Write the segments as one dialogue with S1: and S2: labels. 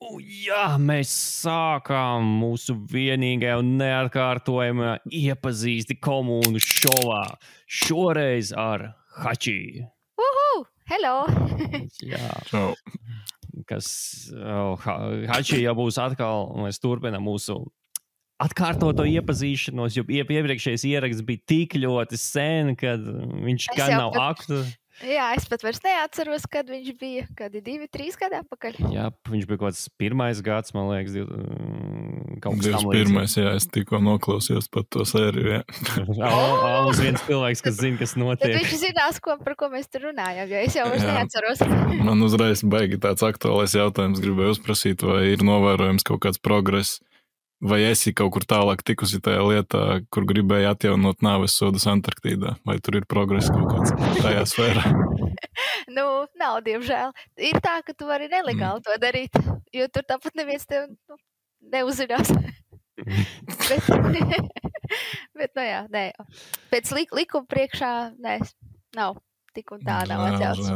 S1: Jā, mēs sākām mūsu vienīgajā un neatkārtojamā iepazīsti komūnu šovā. Šoreiz ar Hači.
S2: Hello!
S1: Jā,
S3: Čau.
S1: Hači jau būs atkal, mēs turpinām mūsu atkārtoto iepazīšanos, jo iepriekšējais ieraksts bija tik ļoti sen, kad viņš gan nav aktuāls.
S2: Jā, es pat vairs neatceros, kad viņš bija. Kādi 2-3 gadi atpakaļ.
S1: Jā, viņš bija kaut kāds 1. gads, man liekas, kaut kas tam
S3: 21. Jā, es tikko noklausījos par to sēriju.
S1: Uz viens cilvēks, kas zina, kas notiek.
S2: Tad viņš zinās, par ko mēs tur runājam, jo es jau vairs neatceros.
S3: Man uzreiz baigi tāds aktuālais jautājums gribēju uzprasīt, vai ir novērojams kaut kāds progress, vai esi kaut kur tālāk tikusi tajā lietā, kur gribēji atjaunot nāves sodus Antarktīdā? Vai tur ir progress kaut kāds tajā sfērā?
S2: Nav, diemžēl. Ir tā, ka tu vari nelegāli to darīt, jo tur tāpat neviens tev neuzzinās. bet jā, nē. Pēc likuma priekšā, nē, nav. Tik un tā nav atļauts.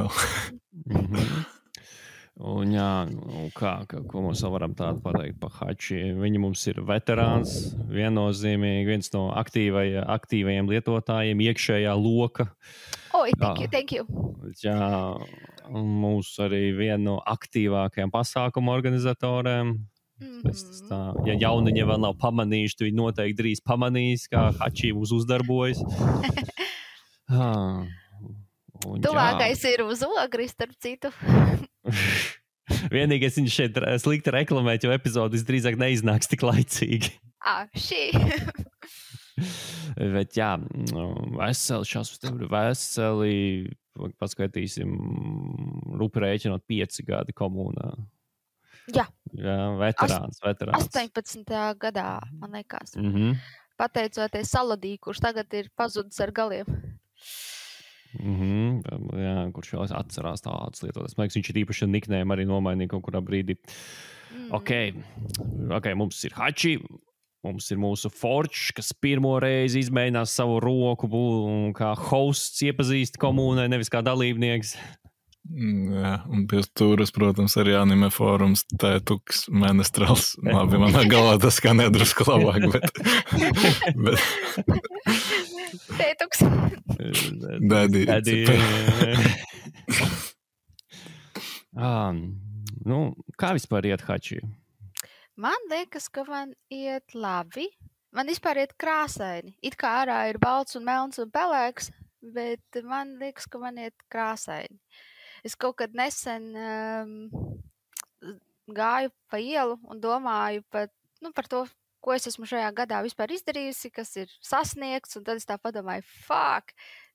S1: Un jā, ko mums vēl varam tādu pateikt par Hači? Viņi mums ir veterāns, viennozīmīgi, viens no aktīvajiem lietotājiem, iekšējā loka.
S2: Thank you.
S1: Jā, mūsu arī viena no aktīvākajiem pasākumu organizatoriem. Ja jauniņi vēl nav pamanījuši, tad viņi noteikti drīz pamanīs, kā Hači mūs uzdarbojas.
S2: Tuvākais ir uz Ogri, starp citu.
S1: Vienīgais viņš šeit slikti reklamēt, jo epizode visdrīzāk neiznāks tik laicīgi. Bet jā, veseli, paskatīsim, rupi rēķinot 5 gadi komunā.
S2: Jā,
S1: veterāns.
S2: 18. gadā, man liekas. Pateicoties Saladī, kurš tagad ir pazudis ar galiem.
S1: Jā, kurš vēl atcerās tādas lietotas. Man liekas, viņš ir īpaši niknēm arī nomainīja kaut kurā brīdī. Ok, mums ir Hači, mums ir mūsu Forge, kas pirmo reizi izmēģinās savu roku kā hosts iepazīst komūnai, nevis kā dalībnieks.
S3: Jā, un pie stūras, protams, arī anime fórums, Tētuks, Menestrals. Labi, manā galvā tas kā nedrusku labāk, bet...
S2: Tētuks.
S3: Daddy.
S1: Kā vispār iet Hači?
S2: Man liekas, ka man iet labi. Man vispār iet krāsaini. It kā ārā ir balts un melns un pelēks, bet man liekas, ka man iet krāsaini. Es kaut kad nesen gāju pa ielu un domāju par to, ko es esmu šajā gadā vispār izdarījusi, kas ir sasniegts, un tad es tā padomāju,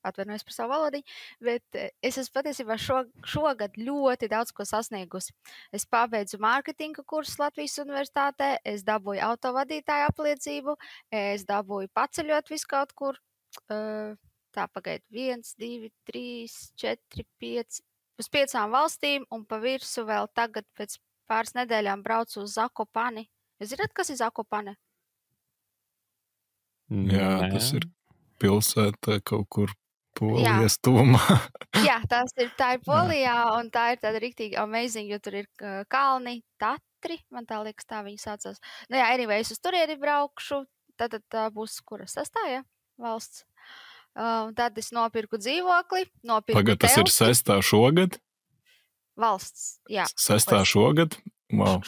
S2: atvainojos par savu valodiņu, bet es esmu patiesībā šogad ļoti daudz ko sasniegusi. Es pabeidzu mārketinga kursus Latvijas universitātē, es dabūju autovadītāju apliecību, es dabūju paceļot visu kaut kur, tā pagaidu 1, 2, 3, 4, 5, uz 5 valstīm, un pa virsu vēl tagad pēc pāris nedēļām braucu uz Zakopani. Jūs zināt, kas ir Zakopane?
S3: Jā, tas ir pilsēta kaut kur Polijas tuvumā.
S2: Jā, tā ir Polijā, un tā ir tāda riktīgi amazing, jo tur ir kalni, Tatri, man tā liekas, tā viņi saucās. Anyway, es uz turieni braukšu, tad tā būs kura 6. valsts. Tad es nopirku dzīvokli,
S3: Pagad, tas ir 6. šogad?
S2: Valsts, jā.
S3: 6. šogad? Wow.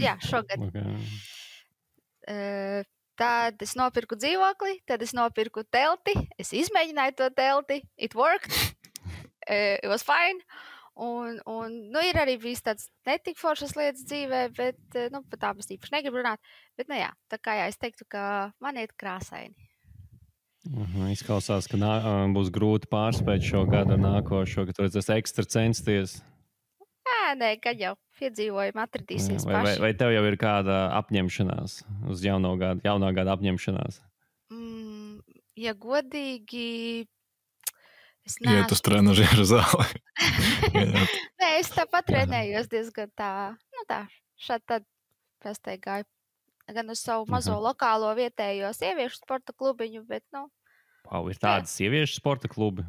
S2: Jā, šogad. Tad es nopirku dzīvokli, tad es nopirku telti, es izmēģināju to telti, it worked, it was fine, un ir arī bijis tāds netik foršas lietas dzīvē, bet, par tām es īpaši negribu runāt, bet, tā kā es teiktu, ka man iet krāsaini.
S1: Izklausās, ka būs grūti pārspēt šo gadu nākošo, ka tu redzēsi ekstra censties.
S2: Nē, kad jau piedzīvojumi atradīsies paši.
S1: Vai tev jau ir kāda apņemšanās uz jaunā gada apņemšanās?
S2: Ja godīgi, es
S3: iet uz trenažieru zāli.
S2: Nē, es tāpat trenējos diezgan šādi tad pēc te gāju gan uz savu mazo lokālo vietējo sieviešu sporta klubiņu, bet,
S1: ir tādi sieviešu sporta klubi?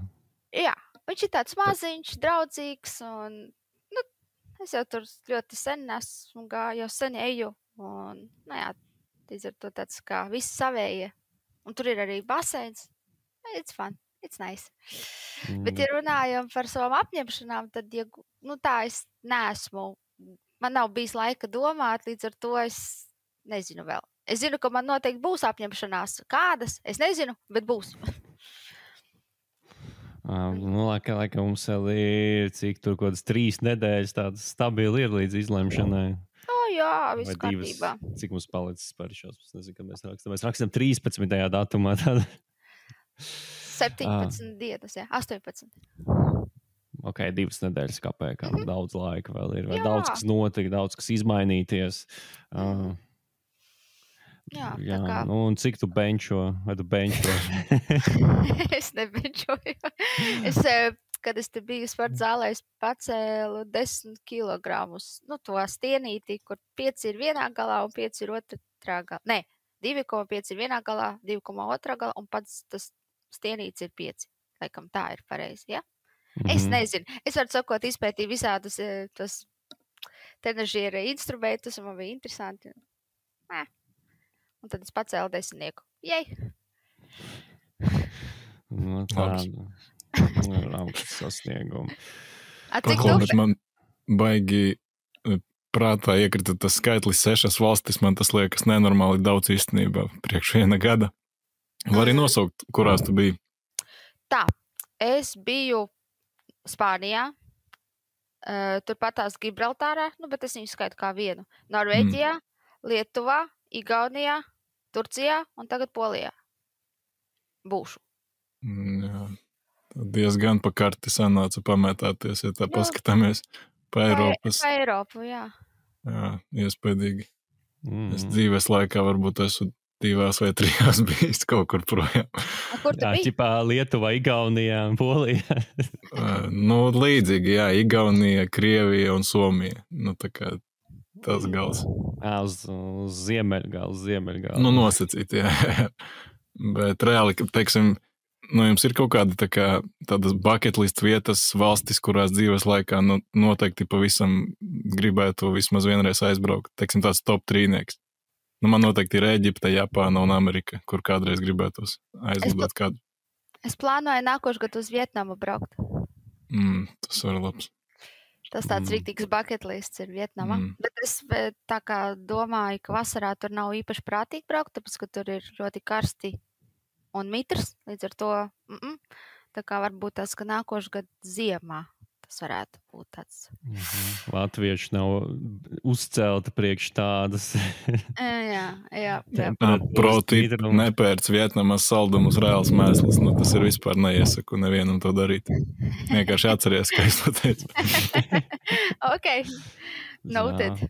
S2: Jā, viņš ir tāds maziņš, draudzīgs un, Es jau tur ļoti sen esmu jau sen eju. Un, līdz ar to tāds kā visi savējie. Un tur ir arī baseins. It's fun. It's nice. Bet, ja runājam par savām apņemšanām, tad, tā es neesmu. Man nav bijis laika domāt, līdz ar to es nezinu vēl. Es zinu, ka man noteikti būs apņemšanās. Kādas? Es nezinu, bet būs.
S1: Laikam mums vēl ir, cik tur kaut kādas 3 nedēļas tādas stabili ir līdz izlemšanai.
S2: Jā, viss kārtībā.
S1: Cik mums palicis par šos? Es nezinu, kad mēs rakstam. Mēs rakstam 13. datumā.
S2: 17 dienas, 18.
S1: Ok, 2 nedēļas kāpēc, daudz laika vēl ir. Vai daudz kas notika, daudz kas izmainīties.
S2: Tā kā.
S1: Un cik tu benčo? Vai tu benčo?
S2: Es nebenčoju. Kad es te biju sporta zālē, es pacēlu 10 kilogramus. To stienīti, kur 5 ir vienā galā un 5 ir otrā galā. Nē, 2,5 ir vienā galā, 2,2 galā un pats tas stienīts ir 5. Laikam tā ir pareizi, ja? Es nezinu. Es varu sakot, izpētīju visādus tos trenažiera instrumentus, un man bija interesanti. Un tad es pacēlu 10. Jej!
S1: Augsts sasniegumi.
S2: Cik tu?
S3: Man baigi prātā iekrita tas skaitlis 6 valstis, man tas liekas nenormāli daudz īstenībā priekš viena gada. Var arī nosaukt, kurās tu biji?
S2: Tā, es biju Spānijā, turpatās Gibraltārā, bet es viņu skaitu kā vienu. Norvēģijā, Lietuvā, Igaunijā, Turcijā un tagad Polijā. Būšu.
S3: Jā, diezgan pa karti sanāca pamētāties, ja tā paskatāmies pa Eiropas.
S2: Pa Eiropu, jā.
S3: Jā, iespēdīgi. Es dzīves laikā varbūt esmu 2 vai 3 bijis kaut kur projām.
S2: Kur tu biji?
S1: Ķipā Lietuvā, Igaunijā un Polijā.
S3: Līdzīgi, jā, Igaunija, Krievija un Somija. Tā kā tas gals.
S1: Uz ziemeļgalu.
S3: Nosacīt, jā. Bet reāli, teiksim, jums ir kaut kāda tādas bucket list vietas valstis, kurās dzīves laikā noteikti pavisam gribētu vismaz vienreiz aizbraukt. Teiksim, tāds top 3. Man noteikti ir Ēģipte, Japāna un Amerika, kur kādreiz gribētos aizlidot kādu.
S2: Es plānoju nākošu gadu uz Vietnamu braukt.
S3: Tas var labs.
S2: Tas tāds rītīgs bucket lists ir Vietnamā. Bet es tā kā domāju, ka vasarā tur nav īpaši prātīgi braukt, tāpēc, ka tur ir ļoti karsti un mitrs. Līdz ar to, tā kā varbūt tas, ka nākošu gadu ziemā tas varētu būt tāds.
S1: Latvieši nav uzcelti priekš tādas.
S2: Jā.
S3: Proti nepērc Vietnamas saldumus reāls mēsls. Tas ir vispār neiesaku nevienam to darīt. Vienkārši atceries, ka es to teicu.
S2: Ok. Noted.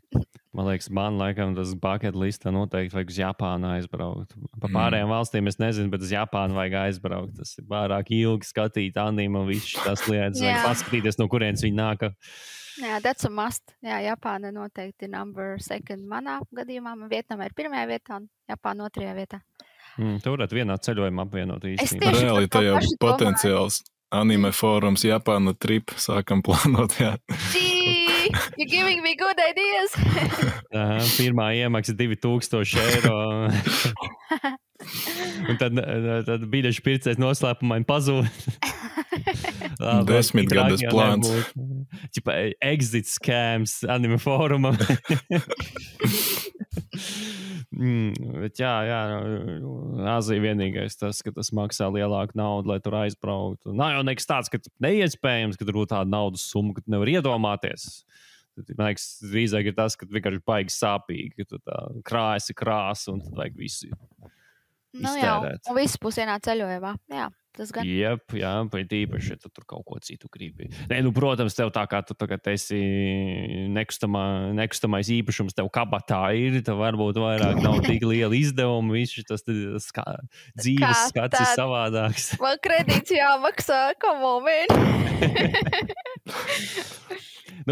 S1: Man liekas, man laikam tas bucket listā noteikti vajag uz Japānu aizbraukt. Pa pārējām valstīm es nezinu, bet uz Japānu vajag aizbraukt. Tas ir pārāk ilgi skatīt anime un viss tas lietas. Vajag paskatīties, no kurienes viņi nāk.
S2: Jā, that's a must. Jā, Japāna noteikti number 2 manā gadījumā. Vietnamā ir 1. vietā un Japāna 2. vietā.
S1: Tu varētu vienā ceļojumā apvienot īstenībā.
S3: Reāli tā jau potenciāls anime fórums Japāna trip sākam plānot, jā.
S2: You're giving me good ideas.
S1: Pirmā iemaksa 2000 eiro. Un tad biļešu pircējs noslēpumaini pazūd.
S3: 10 gadas plāns.
S1: Čipa exit scams anime fórumam. Bet jā, Āzija vienīgais tas, ka tas maksā lielāku naudu, lai tur aizbrauktu. Nav jau nekas tāds, ka neiespējams, ka tur būtu tāda naudas summa, ka tu nevar iedomāties. Man liekas, drīzāk ir tas, ka vienkārši baigi sāpīgi, ka tu tā krāsa un tad vajag visu iztērēt.
S2: Un viss būs vienā ceļojumā. Jā, tas gan.
S1: Jep, jā, bet īpaši, ja tu tur kaut ko citu gribi. Protams, tev tā kā tu tagad esi nekustamais īpašums, tev kabatā ir, tev varbūt vairāk nav tik liela izdevuma, viss tas dzīves skats ir savādāks.
S2: Man kredīts jāmaksā, come on, man.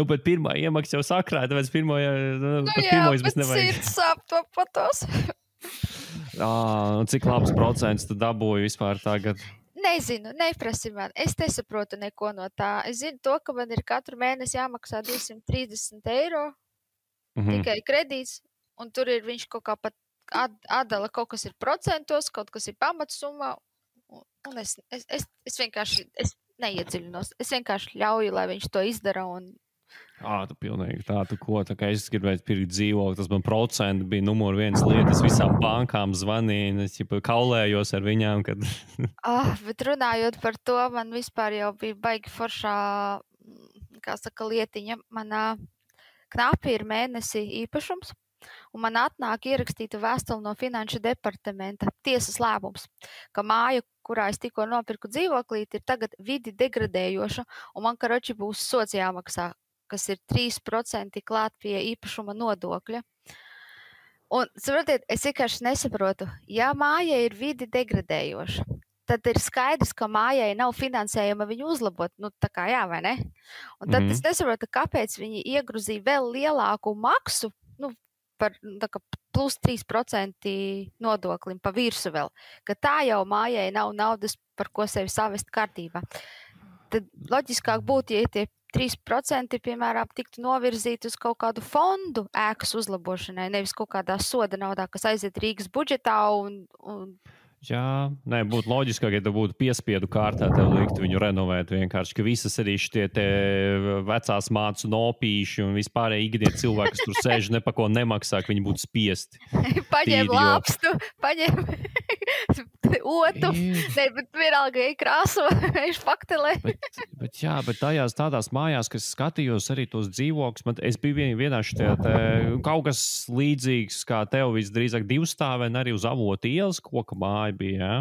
S1: Bet pirmā iemaksa jau sakrāja, tāpēc pirmo mēs nevajag.
S2: Sirds sāp to patos.
S1: Cik labs procents tu dabūji vispār tagad?
S2: Nezinu, neprasi man. Es nesaprotu neko no tā. Es zinu to, ka man ir katru mēnesi jāmaksā 230 eiro tikai kredīts, un tur ir viņš kaut kā pat atdala, kaut kas ir procentos, kaut kas ir pamatsumma, un es vienkārši neiedziļinos. Es vienkārši ļauju, lai viņš to izdara, un
S1: Tu pilnīgi tā kā es gribēju pirkt dzīvokli, tas man procenti bija numur viens lieta, es visām bankām zvanīju, es kaulējos ar viņām, kad...
S2: Bet runājot par to, man vispār jau bija baigi foršā, kā saka, lietiņa, manā knapi ir mēnesi īpašums, un man atnāk ierakstīta vēstule no Finanšu departamenta, tiesas lēmums, ka māja, kurā es tikko nopirku dzīvoklīti, ir tagad vidi degradējoša, un man karoči būs sods jāmaksā, kas ir 3% klāt pie īpašuma nodokļa. Un, saprotiet, es vienkārši nesaprotu, ja māja ir vidi degradējoša, tad ir skaidrs, ka mājai nav finansējuma viņu uzlabot, tā kā jā, vai ne? Un tad es nesaprotu, kāpēc viņi iegrozīja vēl lielāku maksu, par plus 3% nodoklim pa virsu vēl, ka tā jau mājai nav naudas, par ko sevi savest kārtībā. Tad loģiskāk būtu, ja tie 3%, piemēram, tiktu novirzīti uz kaut kādu fondu ēkas uzlabošanai, nevis kaut kādā soda naudā, kas aiziet Rīgas budžetā un...
S1: Jā, būtu loģiskāk, ja tu būtu piespiedu kārtā, tev likt viņu renovēt vienkārši, ka visas arī šitie te vecās mācu nopīši un vispārēji ikdien cilvēki, kas tur sēž, ne pa ko nemaksā, ka viņi būtu spiesti.
S2: Paņem lāpstu, paņem otu, bet vienalga krāso, viņš faktelē.
S1: Bet tajās tādās mājās, kas skatījos arī tos dzīvokļus, es biju vienā šitie kaut kas līdzīgs, kā tev visdrīzāk divstāvēn arī uz Avotu ielas koka māja bija, jā.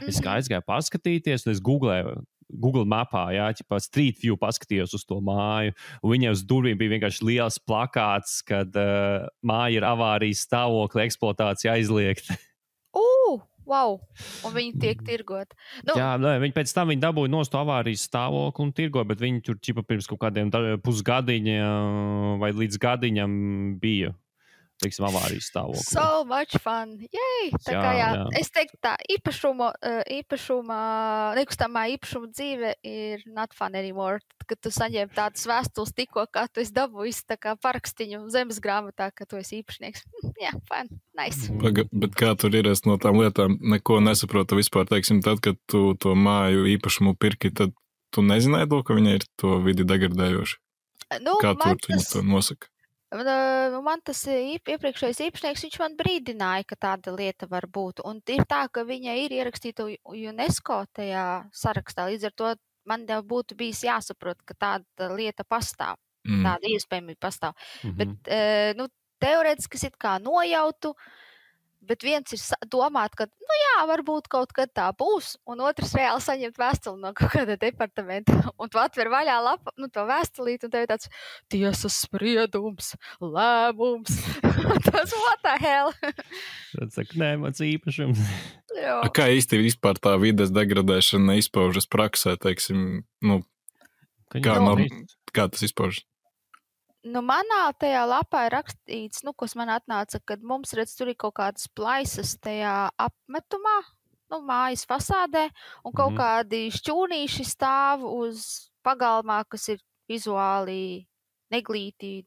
S1: Es aizgāju paskatīties, un es Google mapā, jā, ķipā Street View paskatījos uz to māju, un viņai uz durvīm bija vienkārši liels plakāts, kad māja ir avārijas stāvokli, eksploatācija aizliegta.
S2: Wow! Un viņi tiek tirgot.
S1: Jā, viņi pēc tam dabūja nost avārijas stāvokli un tirgo, bet viņi tur ķipa pirms kaut kādiem pusgadiņa vai līdz gadiņam bija. Teiksim, avārijas stāvokli.
S2: So much fun! Yay! Tā kā jā. Es teiktu tā, nekustamā īpašuma dzīve ir not fun anymore. Kad tu saņem tādas vēstules tikko, kā tu esi dabūjis tā kā parakstiņu zemes grāmatā, ka tu esi īpašnieks. Jā, fun, nice.
S3: Bet kā tur ir, es no tām lietām neko nesaprotu vispār, teiksim, tad, kad tu to māju īpašumu pirki, tad tu nezināji to, ka viņa ir to vidi degradējoši? Kā tur viņi to nosaka?
S2: Man tas iepriekšējais īpašnieks, viņš man brīdināja, ka tāda lieta var būt. Un ir tā, ka viņa ir ierakstīta UNESCO tajā sarakstā. Līdz ar to man jau būtu bijis jāsaprot, ka tāda lieta pastāv. Tāda iespējamība pastāv. Bet, teorētiski es it kā nojautu, bet viens ir domāt, ka, varbūt kaut kad tā būs, un otrs reāli saņemt vēstuli no kaut kāda departamenta, un tu atver vaļā lapu, to vēstulīt, un tev ir tāds tiesas spriedums, lēmums, tas what the hell?
S1: Tad saka, nē, mans īpašums.
S3: Kā īsti vispār tā vides degradēšana izpaužas praksē, teiksim, kā tas izpaužas?
S2: Manā tajā lapā ir rakstīts, kas man atnāca, kad mums redz, tur ir kaut kādas plaisas tajā apmetumā, mājas fasādē, un kaut kādi šķūnīši stāv uz pagalmā, kas ir vizuāli neglīti,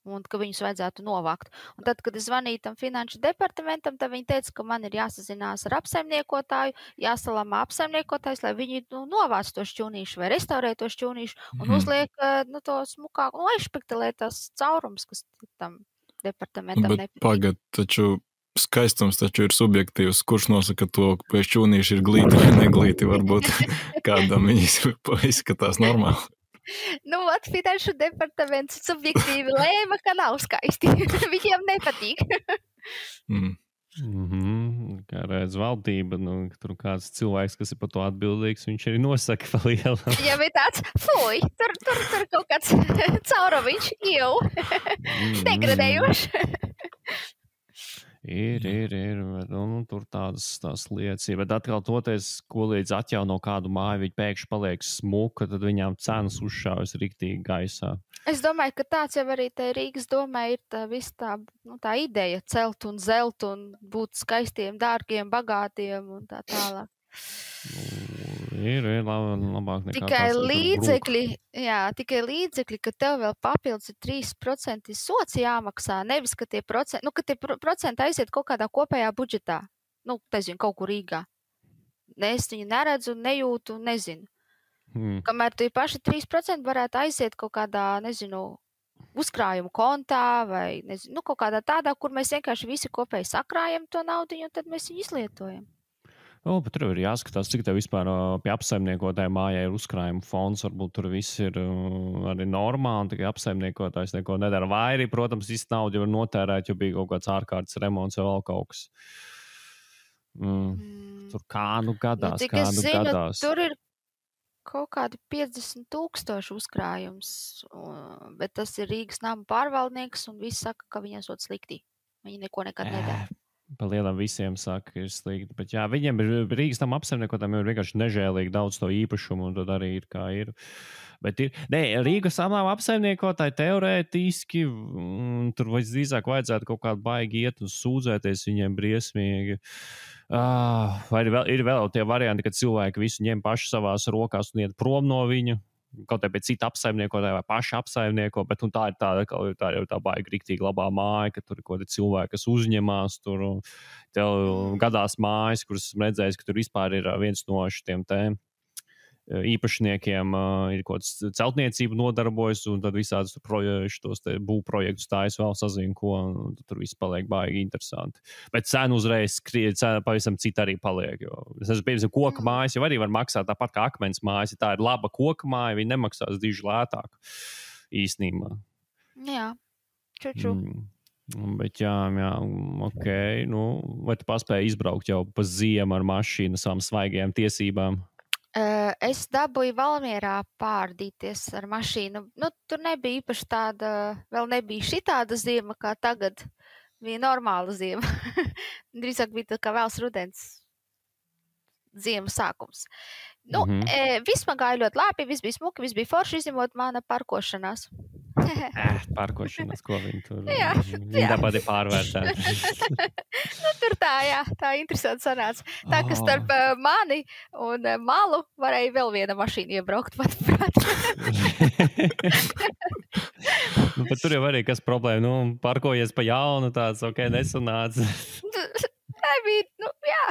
S2: un ka viņus vajadzētu novākt. Un tad, kad es zvanīju tam Finanšu departamentam, tad viņi teica, ka man ir jāsazinās ar apsaimniekotāju, jāsalama apsaimniekotājs, lai viņi novāc to šķūnīšu vai restaurē to šķūnīšu un uzliek to smukāku, aizšpektelē tās caurums, kas tam departamentam
S3: nepatiek. Bet pagad, taču skaistums taču ir subjektīvs. Kurš nosaka to, ka šķūnīši ir glīti vai neglīti, varbūt kādam viņi izskatās normāli.
S2: Finanšu departaments subjektīvi lēma, ka nav skaisti. Viņiem nepatīk.
S1: Kā redz valdība, tur kāds cilvēks, kas ir par to atbildīgs, viņš arī nosaka pa lielu.
S2: Ja bija tāds, fuj, tur kaut kāds caurumiņš, jau, degradējoši.
S1: Ir, tur tādas lietas. Bet atkal toties, ko līdz atjauno kādu māju, viņi pēkšņi paliek smuka, tad viņām cenas uzšaujas riktīgi gaisā.
S2: Es domāju, ka tāds jau arī te Rīgas domē ir tā ideja celt un zelt un būt skaistiem, dārgiem, bagātiem un tā tālāk.
S1: Ir labāk nekā
S2: tikai līdzekļi, ka tev vēl papildus ir 3% sots jāmaksā, nevis, ka tie procenti aiziet kaut kādā kopējā budžetā. Nezinu, kaut kur Rīgā. Es viņu neredzu, nejūtu, nezinu. Kamēr tie paši 3% varētu aiziet kaut kādā, nezinu, uzkrājumu kontā vai, nezinu, kaut kādā tādā, kur mēs vienkārši visi kopēji sakrājam to naudu, un tad mēs viņu izlietojam.
S1: Bet tur ir jāskatās, cik tev vispār pie apsaimniekotāja mājā ir uzkrājuma fonds. Varbūt tur viss ir arī normāli, tikai apsaimniekotājs neko nedara. Vai arī, protams, visu naudu jau ir notērēt, jo bija kaut kāds ārkārtas remonts vai vēl kaut kas. Tur gadās. Gadās.
S2: Tur ir kaut kādi 50,000 uzkrājums, bet tas ir Rīgas nama pārvaldnieks, un visi saka, ka viņiem sot slikti. Viņi neko nekad nedara.
S1: Pa lielam visiem saka, ka ir slikti. Bet jā, viņiem ir Rīgas nama apsaimniekotājiem ir vienkārši nežēlīgi daudz to īpašumu, un tad arī ir kā ir. Bet Rīgas nama apsaimniekotāji teorētiski, tur drīzāk vajadzētu kaut kādu baigi iet un sūdzēties viņiem briesmīgi. Vai ir vēl tie varianti, kad cilvēki visu ņem paši savās rokās un iet prom no viņa, kaut kā pie cita apsaimniekotāja vai paši apsaimnieko, bet tā ir tā baigi riktīgi labā māja, ka tur ir kaut kādi cilvēki, kas uzņemās tur. Tev gadās mājas, kuras esmu redzējis, ka tur vispār ir viens no šitiem īpašniekiem ir kaut kāds celtniecību nodarbojas, un tad visādus šos būvprojektus stājas vēl sazina, ko tur viss paliek baigi interesanti. Bet cena uzreiz pavisam cita arī paliek, jo es esmu piemēram koka mājas, jau arī var maksāt tāpat kā akmens mājas, ja tā ir laba koka māja, viņi nemaksās diži lētāk īstenībā.
S2: Jā, čuču.
S1: Bet jā, ok, vai tu paspēji izbraukt jau pa ziemu ar mašīnu savām svaigajām tiesībām?
S2: Es dabūju Valmierā pārdīties ar mašīnu. Tur nebija īpaši tāda, vēl nebija šitāda ziema kā tagad. Bija normāla ziema. Drīzāk bija tā kā vēls rudens ziemas sākums. Viss man gāja ļoti labi, viss bija smuki, viss bija forši, izņemot mana parkošanās.
S1: Parkošanās, ko viņi tur? Viņi tāpat ir pārvērtēti.
S2: Tur tā interesanti sanāca. Tā, ka starp mani un malu varēja vēl viena mašīna iebraukt, manuprāt.
S1: Bet tur jau arī kas problēma, parkojies pa jaunu, tāds, ok, nesanāca.
S2: Nebija, jā.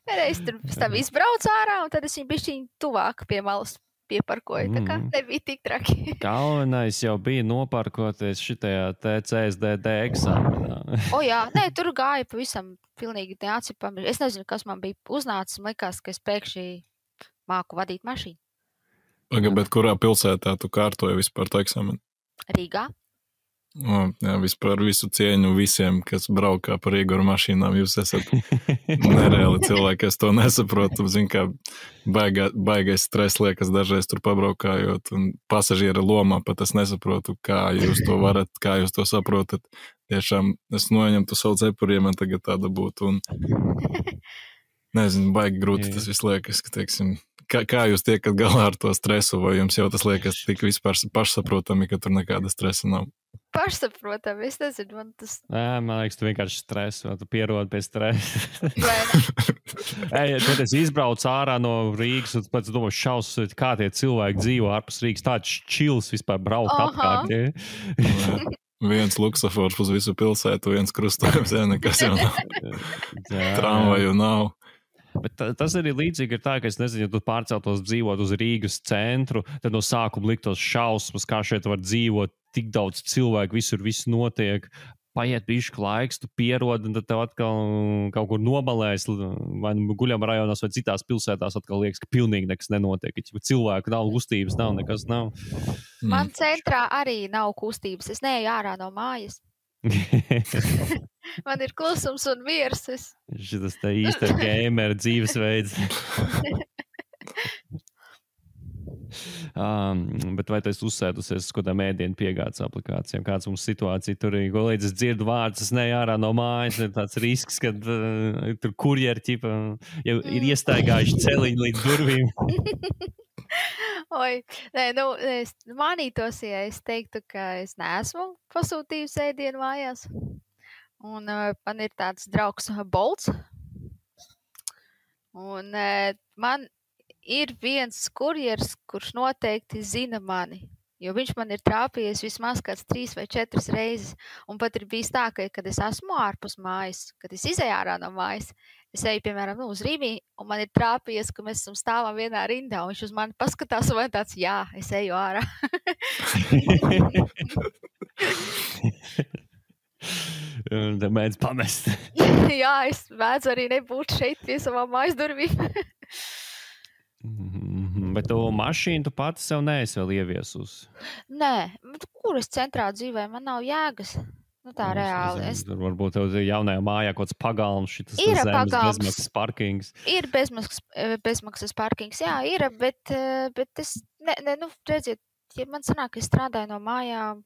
S2: Reiz tur stāv izbrauc ārā, un tad es viņu bišķiņ tuvāk pie malas pieparkoju, tā kā nebija tik traki.
S1: Galvenais jau bija noparkoties šitajā CSDD eksāmenā.
S2: Jā, tur gāja pavisam pilnīgi neatcipami. Es nezinu, kas man bija uznācis, man likās, ka es pēkšņi māku vadīt mašīnu.
S3: Bet kurā pilsētā tu kārtoji vispār to eksāmenu?
S2: Rīgā.
S3: Jā, vispār visu cieņu visiem, kas braukā par Rīgu ar mašīnām. Jūs esat nereāli cilvēki, es to nesaprotu. Zinu, kā baigais stress liekas dažreiz tur pabraukājot, un pasažiera lomā pat es nesaprotu, kā jūs to varat, kā jūs to saprotat. Tiešām es noņemtu savu cepuri, ja man tagad tāda būtu, un nezinu, baigi grūti tas viss liekas, ka, teiksim, kā jūs tiekat galā ar to stresu, vai jums jau tas liekas tik vispār pašsaprotami, ka tur nekāda stresa nav?
S2: Pašsaprotami, es nezinu, man tas...
S1: Man liekas, tu vienkārši stresu, vai tu pierodi pie stresa. Tad es izbraucu ārā no Rīgas, un pēc domāju šausmas, kā tie cilvēki dzīvo ārpus Rīgas, tāds čils vispār braukt apkārt. Ja?
S3: Viens luksafors uz visu pilsētu, viens krustojums, nekas jau nav. Tramvaju nav.
S1: Bet tas arī līdzīgi ir tā, ka es nezinu, ja tu pārceltos dzīvot uz Rīgas centru, tad no sākuma liktos šausmas, kā šeit var dzīvot, tik daudz cilvēku, visur viss notiek, paiet bišķi laiks, tu pierodi, un tad tev atkal kaut kur nobalēs, vai guļam rajonos vai citās pilsētās atkal liekas, ka pilnīgi nekas nenotiek, ka cilvēku nav, kustības nav, nekas nav.
S2: Man centrā arī nav kustības, es neeju ārā no mājas. Man ir klusums un miers.
S1: Šitas te īsta gamer dzīvesveids. Bet vai tu esi uzsēdusies uz kādām ēdienu piegādes aplikācijām? Kāds mums situācija tur ir? Līdz es dzirdu vārdus, es neju ārā no mājas, ir tāds risks, ka tur kurjeri ķipa jau ir iestaigājuši celiņu līdz durvīm.
S2: Es manītos, ja es teiktu, ka es neesmu pasūtījusi ēdienu mājās. Un man ir tāds draugs Bolts. Un man ir viens kurjers, kurš noteikti zina mani. Jo viņš man ir trāpījies vismaz kāds 3 vai 4 reizes. Un pat ir bijis tā, ka, kad es esmu ārpus mājas, kad es izēju ārā no mājas, es eju, piemēram, uz Rīvī, un man ir trāpījies, ka mēs esam stāvam vienā rindā, un viņš uz mani paskatās, un man tāds, jā, es eju ārā.
S1: Un te mēdz pamest.
S2: Jā, es mēdzu arī nebūt šeit pie savām mājas durvīm.
S1: Bet to mašīnu tu pati sev neesi vēl ieviesusi.
S2: Nē, kur es centrā dzīvēju, man nav jēgas. Nu tā reāli.
S1: Varbūt tev jaunajā mājā kaut kāds pagalms, šitas
S2: Ir
S1: zemes
S2: pagalms.
S1: bezmaksas parkings.
S2: Ir bezmaksas parkings, jā, ir, bet es, nu, redziet, ja man sanāk, ka es strādāju no mājām,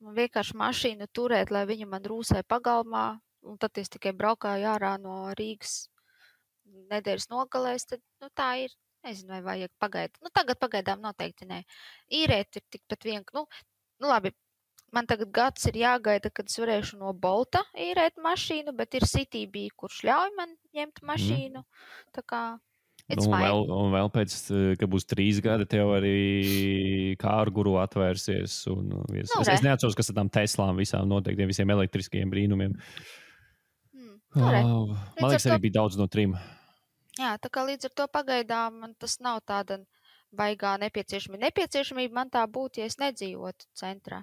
S2: man vienkārši mašīnu turēt, lai viņa man rūsē pagalmā, un tad es tikai braukāju ārā no Rīgas nedēļas nogalēs, tad, nu, tā ir, nezinu, vai vajag pagaidāt. Nu, tagad pagaidām noteikti nē. Īrēt ir tikpat nu, labi, man tagad gads ir jāgaida, kad es varēšu no Bolta īrēt mašīnu, bet ir Citybee, kurš ļauj man ņemt mašīnu. Tā kā,
S1: un vēl pēc, kad būs 3 gadi, tev arī kārguru atvērsies. Es neatceros, kas ar tām Teslām visām noteiktiem, visiem elektriskajiem brīnumiem. Man liekas, arī bija daudz no 3.
S2: Jā, tā kā līdz ar to pagaidām man tas nav tāda baigā nepieciešamība man tā būtu, ja es nedzīvotu centrā.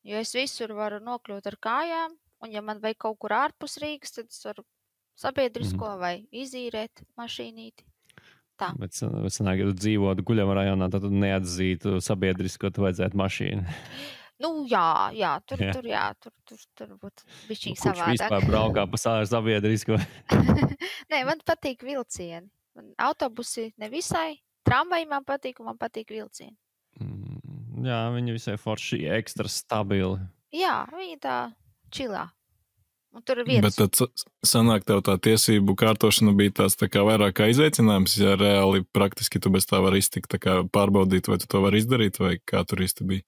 S2: Jo es visur varu nokļūt ar kājām, un ja man vajag kaut kur ārpus Rīgas, tad es varu sabiedrisko vai izīrēt mašīnīti. Tā.
S1: Bet sanāk, ja tu dzīvotu Guļama rajonā, tad tu neatzītu sabiedrisko, tu vajadzētu mašīnu.
S2: Nu, jā, tur būtu bišķīgi savādāk.
S1: Kurš vispār braukā pa sabiedrisko?
S2: Nē, man patīk vilcieni. Autobusi nevisai, tramvaji man patīk, un man patīk vilcieni.
S1: Jā, viņi visai forši, ekstra stabili.
S2: Jā, viņi tā čilā. Un tur ir vietas.
S3: Bet tad sanāk tev tā tiesību kārtošana bija tāds tā kā vairāk kā izaicinājums, ja reāli praktiski tu bez tā var iztikt, tā kā pārbaudīt, vai tu to var izdarīt, vai kā tur īsti bija?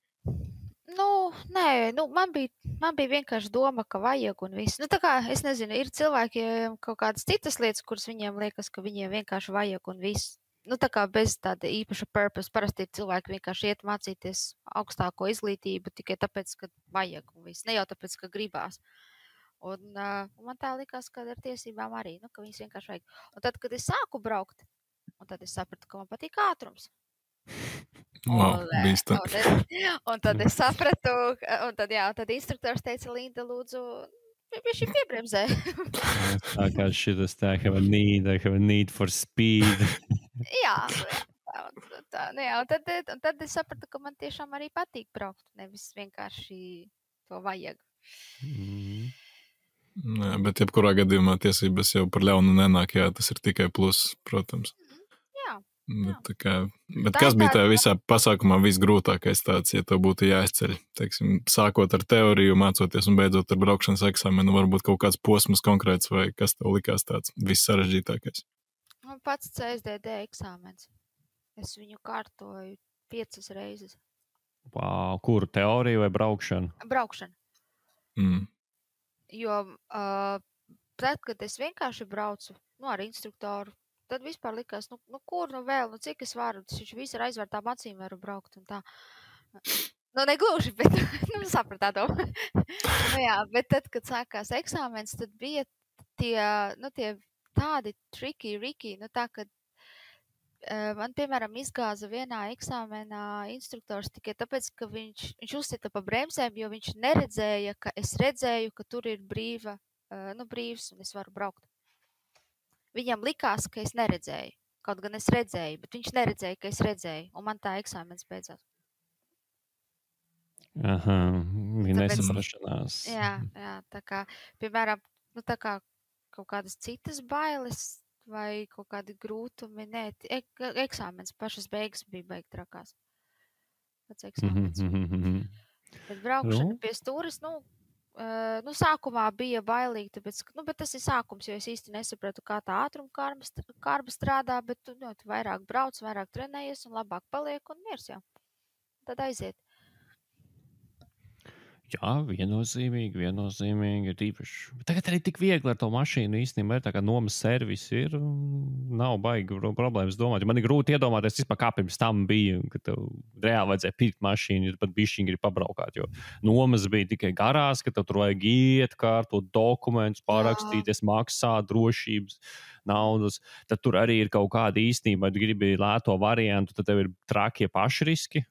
S2: Nē, man bija vienkārši doma, ka vajag un viss. Nu, tā kā, es nezinu, ir cilvēkiem kaut kādas citas lietas, kuras viņiem liekas, ka viņiem vienkārši vajag un viss. Nu, tā kā bez tāda īpaša purpose. Parasti ir cilvēki vienkārši iet mācīties augstāko izglītību tikai tāpēc, ka vajag un viss. Ne jau tāpēc, ka gribās. Un man tā likās, ka ar tiesībām arī, nu, ka viņas vienkārši vajag. Un tad, kad es sāku braukt, un tad es sapratu, ka man patīk ātrums.
S3: Wow,
S2: un tad es sapratu, un tad instruktors teica, Linda, lūdzu, viņš ir piebremzē.
S1: Tā kā šitas tā, have a need for speed.
S2: Jā, un tad es sapratu, ka man tiešām arī patīk braukt, nevis vienkārši to vajag.
S3: Nē, bet jebkurā gadījumā tiesības jau par ļaunu nenāk, jā, tas ir tikai pluss, protams. Bet kas bija tā visā pasākumā visgrūtākais tāds, ja tev būtu jāizceļ? Teiksim, sākot ar teoriju, mācoties un beidzot ar braukšanas eksāmenu, varbūt kaut kāds posms konkrēts vai kas tev likās tāds vissarežģītākais?
S2: Man pats CSDD eksāmens. Es viņu kārtoju 5 reizes.
S1: Wow, kur? Teorija vai braukšana?
S2: Braukšana. Jo tad, kad es vienkārši braucu ar instruktoru, tad vispār likās, kur vēl, cik es varu, viņš visi ar aizvērtām acīm varu braukt un tā. Negluži, bet, sapratā to. Jā, bet tad, kad sākās eksāmens, tad bija tie tādi tricky, tā, kad man, piemēram, izgāza vienā eksāmenā instruktors tikai tāpēc, ka viņš uzsita pa bremzēm, jo viņš neredzēja, ka es redzēju, ka tur ir brīvs un es varu braukt. Viņam likās, ka es neredzēju. Kaut gan es redzēju, bet viņš neredzēja, ka es redzēju. Un man tā eksāmens beidzās.
S1: Aha, bija nesaprašanās.
S2: Jā, tā kā, piemēram, tā kā kaut kādas citas bailes vai kaut kādi grūtumi, eksāmens pašas beigas bija baigi trakās. Pats eksāmens. Bet braukšana pie stūres, sākumā bija bailīgi, tāpēc, bet tas ir sākums, jo es īsti nesapratu, kā tā ātrumkārba strādā, bet tu vairāk brauc, vairāk trenējies un labāk paliek un miers jau. Tad aiziet.
S1: Jā, viennozīmīgi ir īpaši. Tagad arī tik viegli ar to mašīnu īstenībā ir tā kā nomas servisi ir, nav baigi problēmas domāt. Man ir grūti iedomāties vispār, kā pirms tam bija, kad tev reāli vajadzēja pirkt mašīnu, ja pat bišķiņi grib pabraukāt, jo nomas bija tikai garās, ka tev tur vajag iet, kārtot dokumentus, pārakstīties, maksāt drošības naudas. Tad tur arī ir kaut kāda īstenība, ja gribi lēto variantu, tad tev ir trakie pašriski.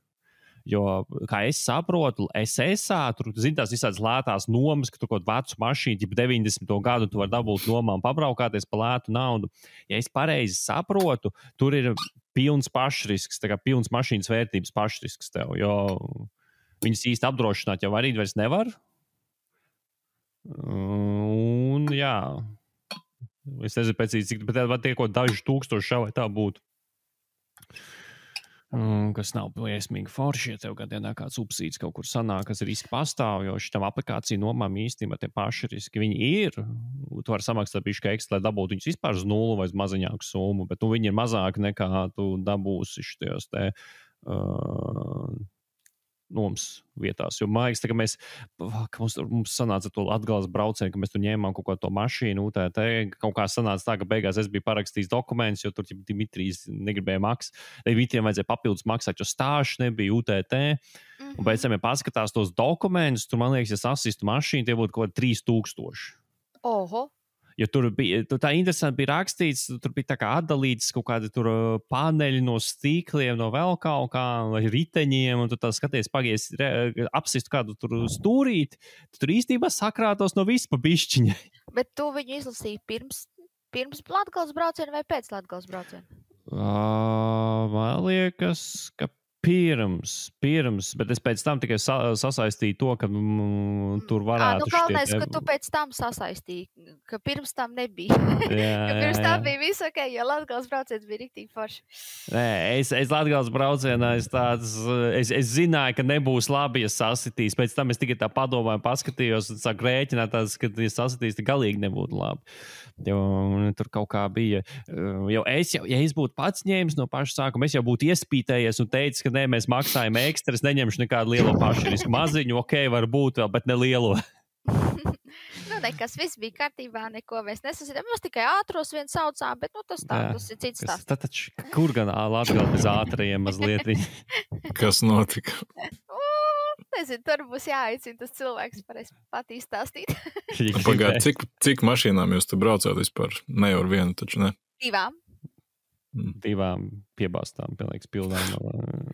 S1: Jo, kā es saprotu, tur zini tās visādas lētās nomas, ka tur kaut kādu vecu mašīnu, ja 90. gadu tu vari dabūt nomā un pabraukāties pa lētu naudu. Ja es pareizi saprotu, tur ir pilns pašrisks, tā kā pilns mašīnas vērtības pašrisks tev, jo viņas īsti apdrošināt jau arī vairs nevar. Un jā, es nezinu pēc cik, bet var tiekot daži tūkstoši šā vai tā būtu. Kas nav liesmīgi forši, ja tev gadienā kāds subsīds kaut kur sanāk, kas riski pastāv, jo šitam aplikāciju nomām īstenībā tie paši riski viņi ir. Tu vari samaksāt bišķi ekstra, lai dabūtu viņus vispār uz nulli vai uz mazaņāku summu, bet viņi ir mazāki nekā tu dabūsi šitajos te nomas vietās. Jo man liekas, ka mums sanāca to Latgales braucienu, ka mēs tur ņēmām kaut kādu to mašīnu, UTT, kaut kā sanāca tā, ka beigās es biju parakstījis dokumentus, jo tur Dimitrijs negribēja maksāt. Dimitrijam vajadzēja papildus maksāt, jo stāžu nebija UTT. Un pēc tam, ja paskatās tos dokumentus, tur, man liekas, ja sasistu mašīnu, tie būtu kaut kādi 3000.
S2: Oho!
S1: Jo tur bija tā interesanti bija rakstīts, tur bija tā kā atdalīts kaut kādi tur paneļi no stīkliem, no vēl kaut kā, vai riteņiem, un tu tā skaties, pagies, apsistu kādu tur stūrīti, tur īstenībā sakrātos no visu pa bišķiņai.
S2: Bet tu viņu izlasīji pirms Latgales brauciena vai pēc Latgales brauciena?
S1: Man liekas, ka pirms, bet es pēc tam tikai sasaistīju to, ka tur varētu
S2: galvenais, ka tu pēc tam sasaistīji, ka pirms tam nebija. Ka pirms tam bija visu ok, jo Latgales brauciens bija riktīgi forši.
S1: Nē, es Latgales braucienā es zināju, ka nebūs labi, ja sasitīs. Pēc tam es tikai tā padomāju, paskatījos un sāku rēķināt, ka ja sasitīs, tad galīgi nebūtu labi. Jo tur kaut kā bija. Jo ja es būtu pats ņēmis no paša sākuma, es jau būtu iespītējies un teicis, ka nē, mēs maksājam ekstra, es neņemšu nekādu lielo pašrisku. Maziņu, ok, varbūt vēl, bet ne lielo.
S2: Nekas, viss bija kārtībā, neko mēs nesasitām. Mēs tikai ātros vien saucām, bet tas ir cits stāsts.
S1: Taču, kur gan Latgale bez ātrajiem mazliet?
S3: Kas notika?
S2: Nezinu, tur būs jāaicina tas cilvēks, varēs pat izstāstīt.
S3: Pagād, cik mašīnām jūs te braucāt vispār? Ne jau ar vienu, taču ne?
S1: 2 piebāstām, pilnīgs pildām.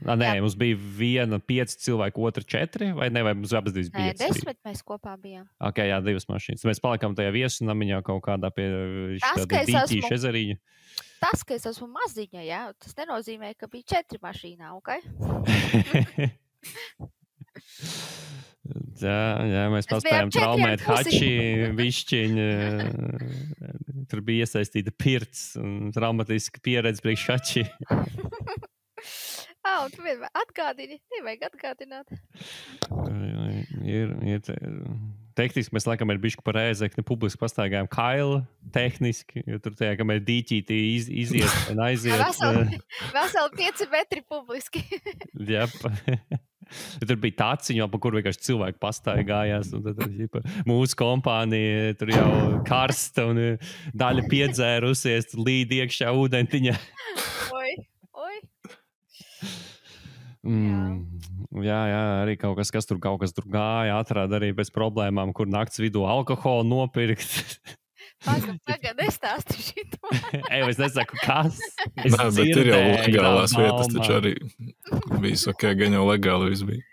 S1: Nē, mums bija 5 cilvēku, otra 4, vai ne, vai mums abas 5?
S2: Nē, 10 mēs kopā bijām.
S1: Ok, jā, 2 mašīnas. Mēs palikām tajā viesunamiņā kaut kādā pie Dīķīša ezeriņa.
S2: Tas, ka es esmu maziņa, jā, tas nenozīmē, ka bija 4 mašīnā, ok?
S1: Jā, mēs paspējām traumēt hači, višķiņu. Tur bija iesaistīta pirts un traumatiska pieredze priekš hači.
S2: Tu vienmēr atgādini, nevajag atgādināt.
S1: Ir tehniski mēs laikam ir bišķi par Ēzekni publiski pastaigājām Kailu tehniski, jo tur tajā, kamēr dīķītī iziet un aiziet.
S2: Veseli 5 metri publiski.
S1: Jep. Tur bija tāciņa, pa kur vienkārši cilvēki pastaigājās. Un tad mūsu kompānija tur jau karsta un daļa piedzērusies, līd iekšā ūdentiņā.
S2: Oi.
S1: Jā, arī kaut kas tur gāja, atrada arī bez problēmām, kur nakts vidū alkoholu nopirkt.
S2: Pagad, nestāsti šito.
S1: Es nesaku, kas.
S3: Nē, bet ir jau legālās vietas, taču arī viss ok, gan jau legāli viss bija.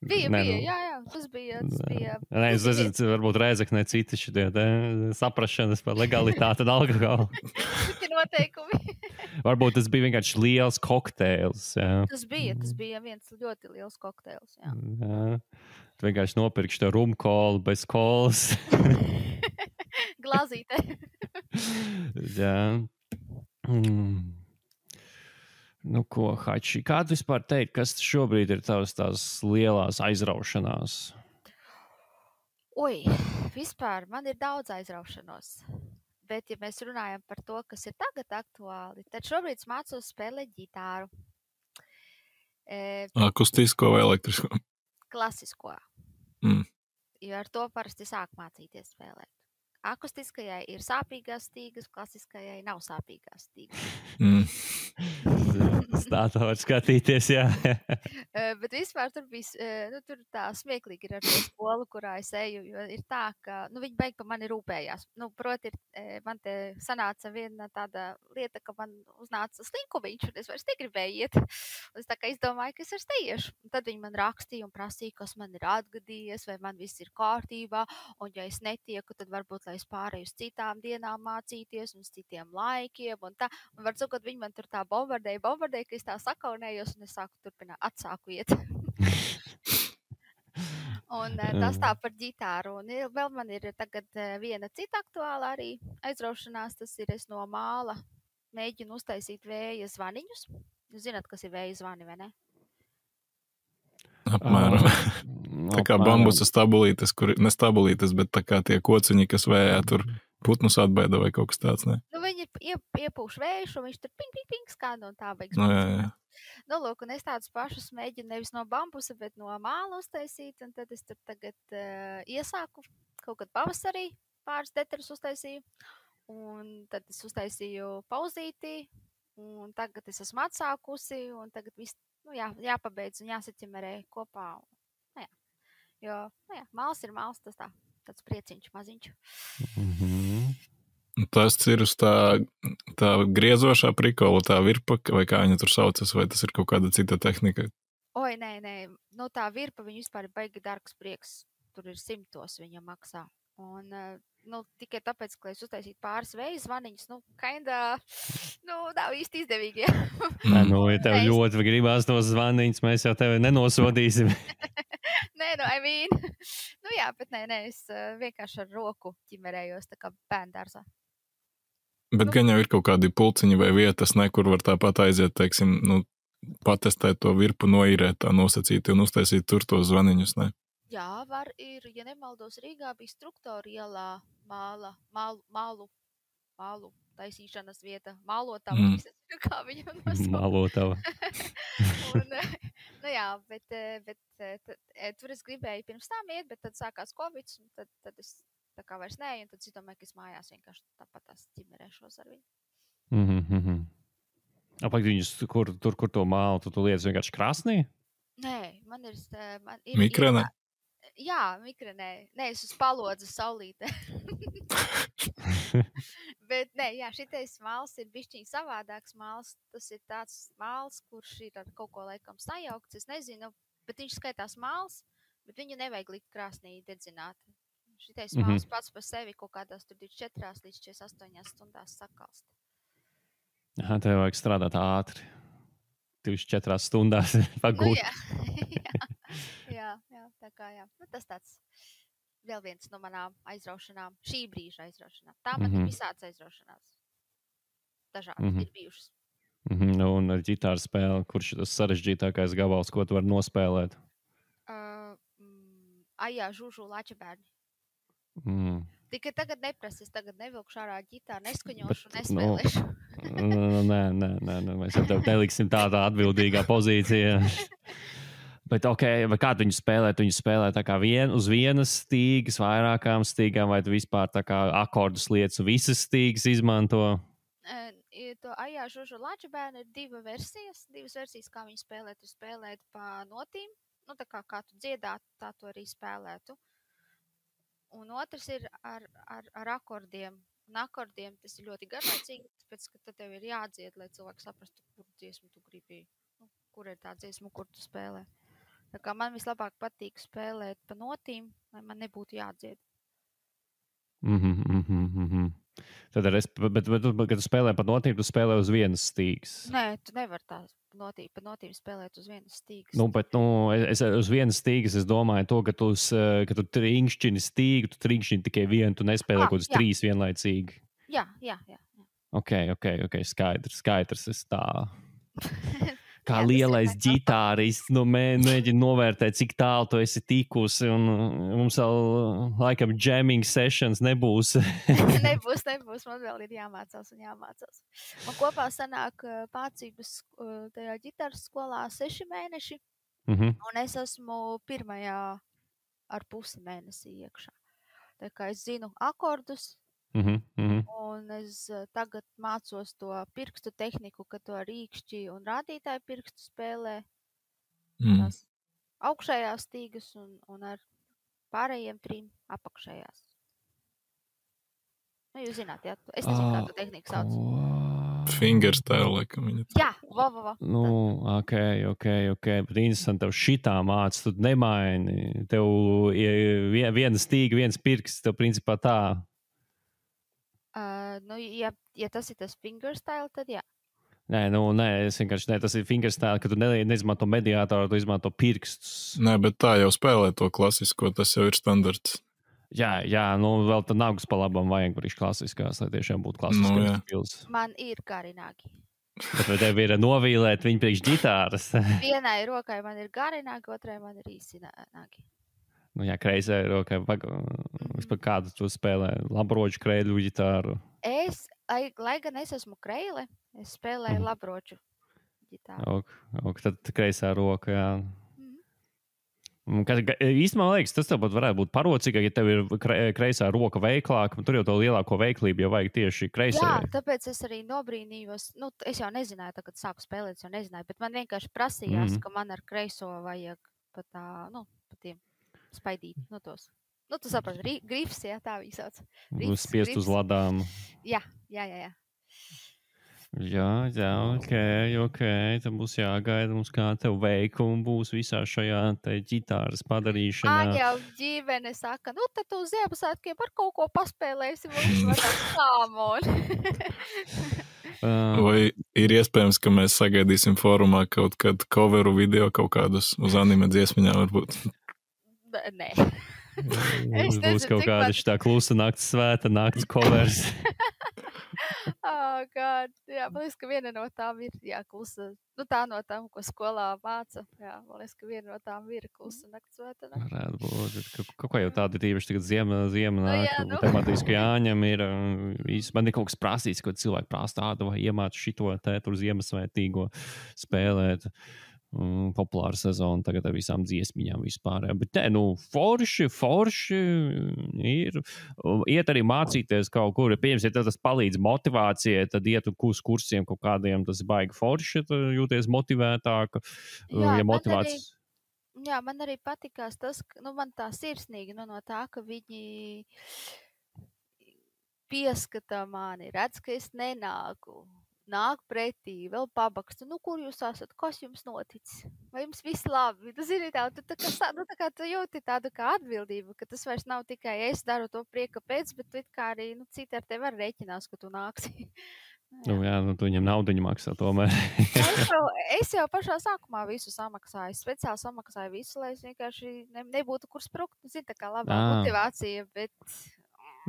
S2: Bija, jā, tas bija.
S1: Nē, es nezinu, varbūt Rēzeknē citi šitie saprašanas par legalitāti un alkoholu.
S2: Citi noteikumi.
S1: Varbūt tas bija vienkārši liels kokteils. Jā.
S2: Tas bija viens ļoti liels kokteils, jā.
S1: Tu vienkārši nopirkši to rumkolu bez kolas.
S2: Glāzītē.
S1: Jā. Nu, ko, Hači, kā tu vispār teikt, kas šobrīd ir tās lielās aizraušanās?
S2: Vispār man ir daudz aizraušanos. Bet, ja mēs runājam par to, kas ir tagad aktuāli, tad šobrīd es mācos spēlēt ģitāru.
S3: Akustisko vai elektrisko?
S2: Klasisko. jo ar to parasti sāk mācīties spēlēt. Akustiskajai ir sāpīgās stīgas, klasiskajai nav sāpīgās stīgas.
S1: Tā var skatīties, jā.
S2: Bet vispār tur bija, tur tā smieklīgi ir ar to skolu, kurā es eju, jo ir tā, ka, viņi beig pa mani rūpējās. Proti, man te sanāca viena tāda lieta, ka man uznāca slinkumiņš, un es vairs negribēju iet. Un es tā kā izdomāju, ka es vairs neiešu. Un tad viņi man rakstīja un prasīja, kas man ir atgadījies, vai man viss ir kārtībā, un ja es netieku, tad varbūt, lai es pārēju uz citām dienām mācīties, un uz citiem laikiem, un tā. Un var sakot, viņi man tur tā bombardēja, ka es tā sakaunējos, un es atsāku iet. Un tas tā par ģitāru. Un vēl man ir tagad viena cita aktuāla arī aizraušanās, tas ir es no māla mēģinu uztaisīt vēja zvaniņus. Jūs zināt, kas ir vēja zvani, vai ne?
S3: Apmēram. Tā kā bambusa stabulītes, nestabulītes, bet tā kā tie kociņi, kas vējā tur putnus atbaida vai kaut kas tāds, ne?
S2: Viņi iepūš vējušu, un viņš tur ping, ping, ping skan, un tā beigas.
S3: Jā.
S2: Lūk, un es tādus pašus mēģinu nevis no bambusa, bet no māla uztaisīt, un tad es tur tagad iesāku kaut kad pavasarī pāris detaļas uztaisīju, un tad es uztaisīju pauzītī, un tagad es esmu atsākusi, un tagad viss, jāpabeidz un jāsaķemerē kopā. Jo, māls ir māls, tas tāds prieciņš maziņš.
S3: Tas ir uz tā griezošā prikola, tā virpa, vai kā viņa tur saucas, vai tas ir kaut kāda cita tehnika?
S2: Oi, nē. Tā virpa, viņa vispār ir baigi dārgs prieks. Tur ir 100 viņa maksā. Un, tikai tāpēc, ka es uztaisītu pāris vēja zvaniņus, nav īsti izdevīgi.
S1: Ja tev ļoti gribās tos zvaniņus, mēs jau tevi nenosodīsim.
S2: Nē, bet nē, es vienkārši ar roku ķimerējos, tā kā bērndārzā.
S3: Bet gan jau ir kaut kādi pulciņi vai vietas, kur var tāpat aiziet, teiksim, patestēt to virpu, noīrēt tā nosacīti un uztaisīt tur tos zvaniņus, ne?
S2: Jā, var ir, ja nemaldos, Rīgā bija Struktora ielā mālu taisīšanas vieta, mālotava, kā viņam nosaukt.
S1: Mālotava.
S2: Bet tur es gribēju pirms tam iet, bet tad sākās Covid, un tad es tā kā vairs neeju, un tad es domāju, ka es mājās vienkārši tāpat tās ķimerēšos ar viņu.
S1: Apakt viņus, kur to mālu, tu lietas vienkārši krāsnī?
S2: Nē, man ir...
S3: Mikrenē?
S2: Jā, mikrenē. Nē, es uz palodzes saulītē. Bet, šitais māls ir bišķiņ savādāks māls. Tas ir tāds māls, kurš ir ar kaut ko laikam sajaukts. Es nezinu, bet viņš skaitās māls, bet viņu nevajag likt krāsnī dedzināt. Šitais māls pats par sevi kaut kādās tur 24 līdz 48 stundās sakalst.
S1: Tev vajag strādāt ātri. 24 stundās pagūt.
S2: Jā, tā kā jā. Tas tāds vēl viens no manām aizraušanām, šī brīža aizraušanām. Tā man ir visāds aizraušanās. Dažādas ir bijušas.
S1: Un ar ģitāru spēli, kurš ir tas sarežģītākais gabals, ko tu vari nospēlēt?
S2: Ajā, Žužu Lačabērni. Tikai tagad neprasa, es tagad nevilkšu ārā ģitāru, neskaņošu un nespēlēšu.
S1: Nē, mēs jau tev neliksim tādā atbildīgā pozīcijā. Bet vai kā tu viņu spēlē? Tu viņu spēlē tā kā uz vienas stīgas, vairākām stīgām, vai tu vispār tā kā akordus lietas un visas stīgas izmanto?
S2: To Ajā, Žužu Lačabērni ir divas versijas, kā viņu spēlēt. Tu spēlēt pa notīm, tā kā tu dziedātu, tā tu arī spēlētu. Un otrs ir ar akordiem. Un akordiem tas ir ļoti garlaicīgi, tāpēc, ka tad tev ir jādzied, lai cilvēks saprastu, kur dziesmu tu gribi, kur ir tā dziesma, kur tu spēlē. Tā kā man vislabāk patīk spēlēt pa notīm, lai man nebūtu jādzied.
S1: Tad, bet kad tu spēlē pa notīm, tu spēlē uz vienas stīgas.
S2: Nē, tu nevar tā pa notīm spēlēt uz vienas stīgas.
S1: Es uz vienas stīgas es domāju to, ka tu trinkšķini stīgu, tu trinkšķini tikai vienu, tu nespēlē kaut kādas 3 vienlaicīgi.
S2: Jā.
S1: Ok, skaidrs, es tā... Kā lielais ģitārists, mēģina novērtēt, cik tālu tu esi tikusi, un mums vēl laikam jamming sessions nebūs.
S2: Nebūs, man vēl ir jāmācās. Man kopā sanāk mācības tajā ģitāras skolā 6 mēneši, un es esmu pirmajā ar pusi mēnesī iekšā. Tā kā es zinu akordus, un es tagad mācos to pirkstu tehniku, ka to rīkšķi un rādītāju pirkstu spēlē. Tās augšējās stīgas un ar pārējiem 3 apakšējās. Nu, jūs zināt, jā, es nezinu, kā tu tehniku sauc.
S3: Fingerstyle, laikam viņa.
S2: Jā, va.
S1: Nu, ok. Bet interesanti, tev šitā māc, tu nemaini. Tev viena stīga, viens pirksts, tev principā tā.
S2: Nu, ja tas ir tas fingerstyle, tad jā.
S1: Nē, es vienkārši tas ir fingerstyle, ka tu neizmanto mediātoru, tu izmanto pirkstus.
S3: Nē, bet tā jau spēlē to klasisko, tas jau ir standarts.
S1: Jā, vēl tad nagus pa labam vajag brīž klasiskās, lai tiešām būtu klasiskās pils.
S2: Man ir gari nagi.
S1: Bet vai tev ir novīlēt viņu priekš ģitāras?
S2: Vienai rokai man ir gari nagi, otrai man ir īsi nagi.
S1: Nu jā, kreisai rokai. Vispār kādu tu spēlē? Labroču, kreļu ģitāru?
S2: Lai gan es esmu kreile, es spēlēju labroču ģitāru.
S1: Tad kreisā roka, jā. Īstenībā, man liekas, tas tev varētu būt parocīgāk, ja tev ir kreisā roka veiklāka. Tur jau to lielāko veiklību jau vajag tieši kreisē.
S2: Jā, tāpēc es arī nobrīnījos. Nu, es jau nezināju, tā, kad sāku spēlēt, es jau nezināju. Bet man vienkārši prasījās, ka man ar kreiso vajag pa tiem spaidīt. Nu, tos. Nu, tu saprati, grifs, jā, tā viņi sauc.
S1: Spiest uz ladām.
S2: Jā.
S1: Jā, ok. Tad būs jāgaida mums, kā tev veikumi būs visā šajā ģitāras padarīšanā.
S2: Jau ģimene saka, nu tad tu uz Ziemassvētkiem par kaut ko paspēlēsi, vai sāmon.
S3: Vai ir iespējams, ka mēs sagaidīsim fórumā kaut kad coveru video kaut kādus uz anime dziesmiņām varbūt?
S2: Nē.
S1: Būs kaut kāda šitā klusa nakts svēta, nakts covers.
S2: God. Jā, man liekas, ka viena no tām ir klusa. Nu, tā no tām, ko skolā māca. Jā, man liekas, ka viena no tām ir klusa nakts svēta.
S1: Varētu būt. Kaut ko jau tāda tīpaši tagad ziema nāk. Tematiski jāņem ir. Man ir kaut kas prasīts, ko cilvēki prasa tādu vai iemāca šito tur Ziemassvētīgo spēlēt. Populāra sezona tagad ar visām dziesmiņām vispār. Bet forši ir. Iet arī mācīties kaut kur. Pieņems, ja tas palīdz motivācijai, tad iet uz kursiem kaut kādiem, tas ir baigi forši, jūties motivētāk.
S2: Jā, man arī patikās tas, ka man tā sirsnīgi no tā, ka viņi pieskatā mani, redz, ka es nenāku. Nāk pretī, vēl pabakstu. Nu, kur jūs esat? Kas jums noticis? Vai jums viss labi? Tu zini tā, tu jūti tādu kā atbildību, ka tas vairs nav tikai es daru to prieka pēc, bet tu it kā arī, citi ar tevi var rēķinās, ka tu nāksi.
S1: Tu viņam naudiņu maksā tomēr.
S2: Es jau pašā sākumā visu samaksāju. Es speciāli samaksāju visu, lai es vienkārši nebūtu kur sprukt. Zini, tā kā labā motivācija, bet...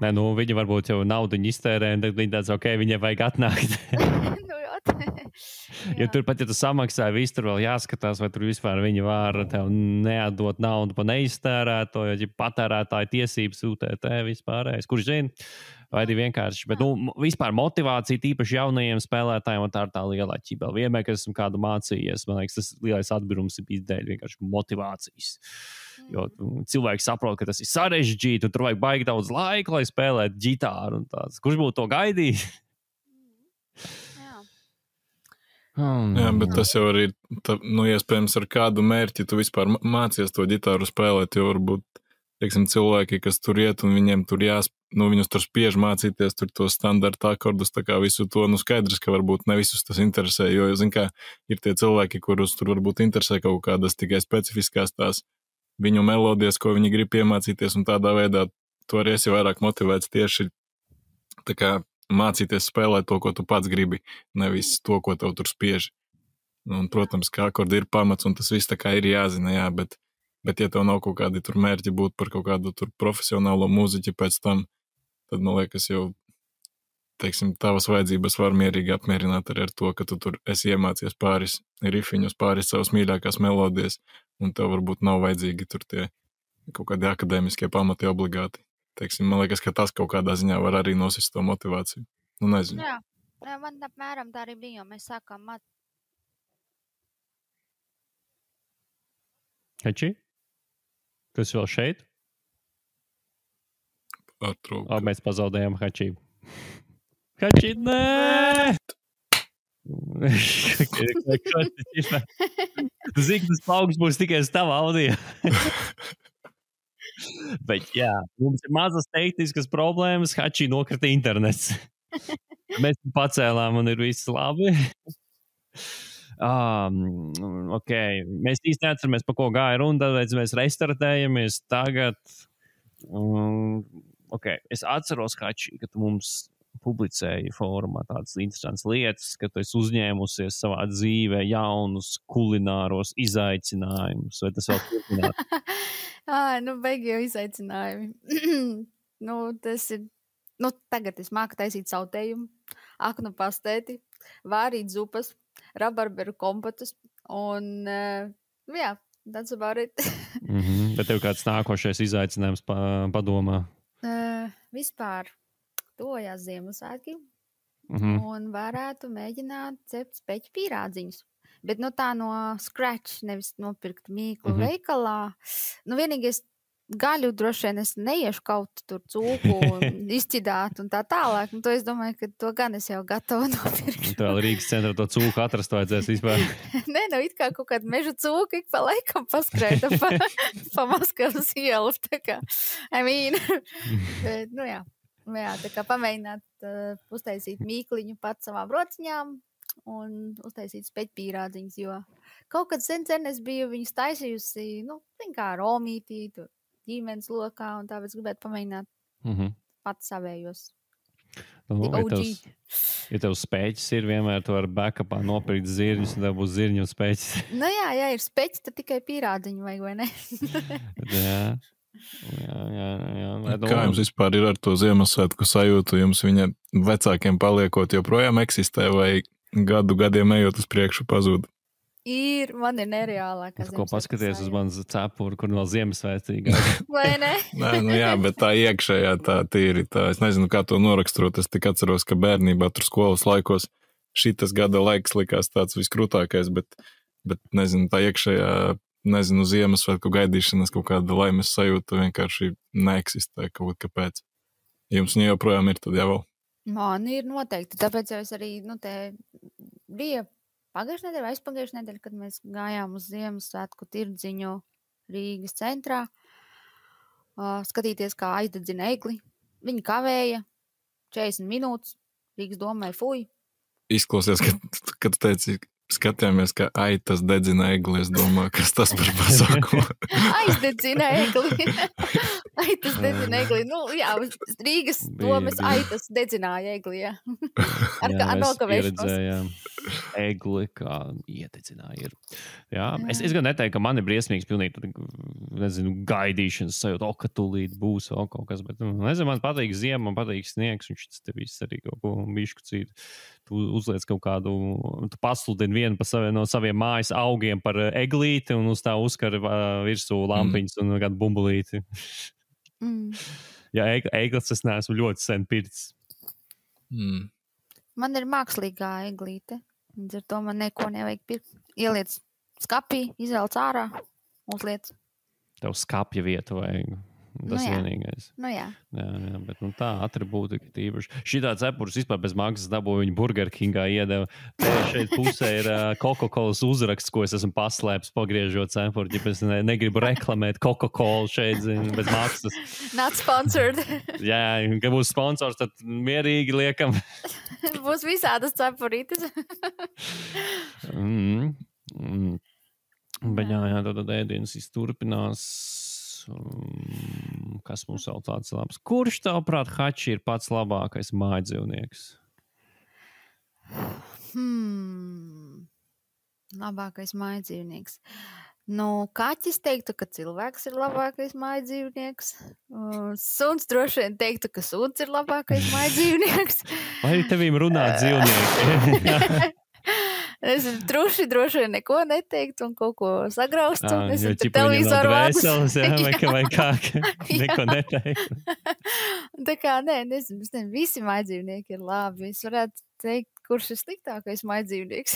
S1: Nē, viņi varbūt jau naudiņu iztērē, un tad viņi tāds, ok, viņai vajag atnākt. Jo turpat, ja tu samaksāji, viss tur vēl jāskatās, vai tur vispār viņi var tev neatdot naudu pa neiztērēto, jo patērētāju tiesības UTT vispārējais. Kurš zina? Vai arī vienkārši, bet vispār motivācija tīpaši jaunajiem spēlētājiem, un tā ir tā lielā ķibela. Vienmēr, kad esmu kādu mācījies, man liekas, tas lielais atbirums ir bijis dēļ vienkārši motivācijas. Jo cilvēki saprot, ka tas ir sarežģīti, un tur vajag baigi daudz laika, lai spēlētu ģitāru un tāds. Kurš būtu to gaidījis?
S3: Jā, bet tas jau arī, iespējams, ar kādu mērķi tu vispār mācies to ģitāru spēlēt, jo varbūt, teiksim, cilvēki, kas tur iet un viņiem tur viņus tur spiež mācīties tur tos standarta akordus, tā kā visu to, skaidrs, ka varbūt ne visus tas interesē, jo, zin kā, ir tie cilvēki, kurus tur varbūt interesē kaut kādas tikai specifiskās tās viņu melodijas, ko viņi grib iemācīties, un tādā veidā tu arī esi vairāk motivēts tieši tā kā mācīties spēlēt to, ko tu pats gribi, nevis to, ko tev tur spiež. Un, protams, ka akordi ir pamats, un tas viss tā kā ir jāzina, jā, bet ja tev nav kaut kādi tur mērķi būt par kaut kādu tur profesionālo mūziķi pēc tam, tad, man liekas, jau, teiksim, tavas vajadzības var mierīgi apmierināt arī ar to, ka tu tur esi iemācies pāris rifiņus, pāris savas mīļākās melodijas, un tev varbūt nav vajadzīgi tur tie kaut kādi akadēmiskie pamati obligāti. Teiksim, man liekas, ka tas kaut kādā ziņā var arī nosist to motivāciju. Nezinu.
S2: Jā, man apmēram tā arī bija, jo mēs sākām
S1: Heči? Tu esi vēl šeit?
S3: Atrūka.
S1: Mēs pazaudējām Hačī. Hačī, nē! Zini, tas augsts būs tikai uz tava audio. Bet jā, mums ir mazas tehniskas problēmas. Hačī nokrita internets. Mēs pacēlām un ir viss labi. Okay. Mēs īsti neatceramies, pa ko gāja runa, tāpēc mēs restartējamies tagad. Okay. Es atceros, Hačī, ka tu mums publicēji fórumā tādas interesantas lietas, ka tu esi uzņēmusies savā dzīvē jaunus kulināros izaicinājumus. Vai tas vēl turpināt?
S2: Beigi jau izaicinājumi. Tas ir, tagad es māku taisīt sautējumu, aknu pastēti, vārīt zupas, rabarberu kompotus un, jā, that's about it.
S1: Bet tev kāds nākošais izaicinājums padomā?
S2: Vispār tojās Ziemassvētki un varētu mēģināt cept speķu pīrādziņus. Bet tā no scratch, nevis nopirkt mīklu veikalā. Vienīgais gaļu droši vien es neiešu kaut tur cūku un izķidāt un tā tālāk. To es domāju, ka to gan es jau gatavu nopirkt.
S1: Tā vēl Rīgas centrā to cūku atrast vajadzēs vispār.
S2: Nē, it kā kaut kāda meža cūka ik pa laikam paskrēta pa Maskavas ielu. Bet, jā. Jā, tā kā pamēģināt uztaisīt mīkliņu pats savām rociņām un uztaisīt speķu pīrādziņus, jo kaut kad sen es biju viņus taisījusi, kā romītī, tur ģimenes lokā, un tāpēc gribētu pamēģināt pats savējos.
S1: Ja tev speķis ir, vienmēr tu vari backupā nopirkt zirņus, un tev būs zirņu un speķis.
S2: Jā, ir speķis, tad tikai pīrādziņu vajag, vai ne?
S1: Jā.
S3: Kā jums vispār ir ar to Ziemassvētku sajūtu? Jums viņa vecākiem paliekot joprojām eksistē vai gadiem ejot uz priekšu pazūd?
S2: Man ir nereālākā
S1: Ziemassvētku. Ko paskaties uz manas cepuru, kur vēl Ziemassvētīgi?
S2: Vai ne?
S3: Jā, bet tā iekšējā tā tīri tā. Es nezinu, kā to noraksturot. Es tik atceros, ka bērnībā tur skolas laikos šitas gada laiks likās tāds viskrūtākais, bet nezinu, tā iekšējā Ziemassvētku gaidīšanas kaut kāda laimes sajūta vienkārši neeksistē kaut kāpēc. Jums viņa joprojām ir tad jau?
S2: Man ir noteikti, tāpēc jau es arī, te bija pagājušajā nedēļā vai aizpagājušajā nedēļā, kad mēs gājām uz Ziemassvētku tirdziņu Rīgas centrā, skatīties, kā aizdedzina egli. Viņi kavēja 40 minūtes, Rīgas domai fuj.
S3: Izklausies, kad tu teici, skatījāmies, ka aitas dedzina egli, es domāju, kas tas par pasākumu.
S2: Aizdedzina egli. Aitas dedzina egli. Jā, Rīgas domas aitas dedzināja egli, jā. Ar nokavēšanos.
S1: Pieredzējām egli, kā iededzināja ir. Jā, es gan neteiktu, ka man ir briesmīgs pilnīgi, gaidīšanas sajūta, ka tūlīt būs vēl kaut kas, bet, man patīk ziema, man patīk sniegs, un šis te viss arī kaut ko bišķu cītu. Tu uzliec kaut kādu, tu pasludini vienu no saviem mājas augiem par eglīti un uz tā uzkara virsū lampiņas un kādu bumbulīti. Jā, eglis es neesmu ļoti sen pircis.
S2: Man ir mākslīgā eglīte. Līdz ar to man neko nevajag pirkt. Ieliec skapī, izvelc ārā, uzliec.
S1: Tev skapja vieta vajag. Tas vienīgais.
S2: Jā,
S1: bet tā atribūti ir tīpaši. Šitā cepurs vispār bez maksas dabūja viņu Burger Kingā iedeva. Te šeit pusē ir Coca-Colas uzraksts, ko es esmu paslēpis pagriežot cepuru. Ja es negribu reklamēt Coca-Cola šeit bez maksas.
S2: Not sponsored.
S1: Jā, ka būs sponsors, tad mierīgi liekam.
S2: Būs visādas cepurītes.
S1: Bet jā, tad ēdienas turpinās. Kas mums vēl tāds labs? Kurš tavuprāt, Hači, ir pats labākais mājdzīvnieks?
S2: Labākais mājdzīvnieks. Kaķis teiktu, ka cilvēks ir labākais mājdzīvnieks. Suns droši vien teiktu, ka suns ir labākais mājdzīvnieks.
S1: Vai tevīm runā dzīvnieki?
S2: Es droši vien neko neteiktu un kaut ko sagraustu.
S1: Jo televizoru vēseles, vai kā, neko neteiktu.
S2: Tā kā, nezinu, visi mājdzīvnieki ir labi. Es varētu teikt, kurš ir sliktākais mājdzīvnieks.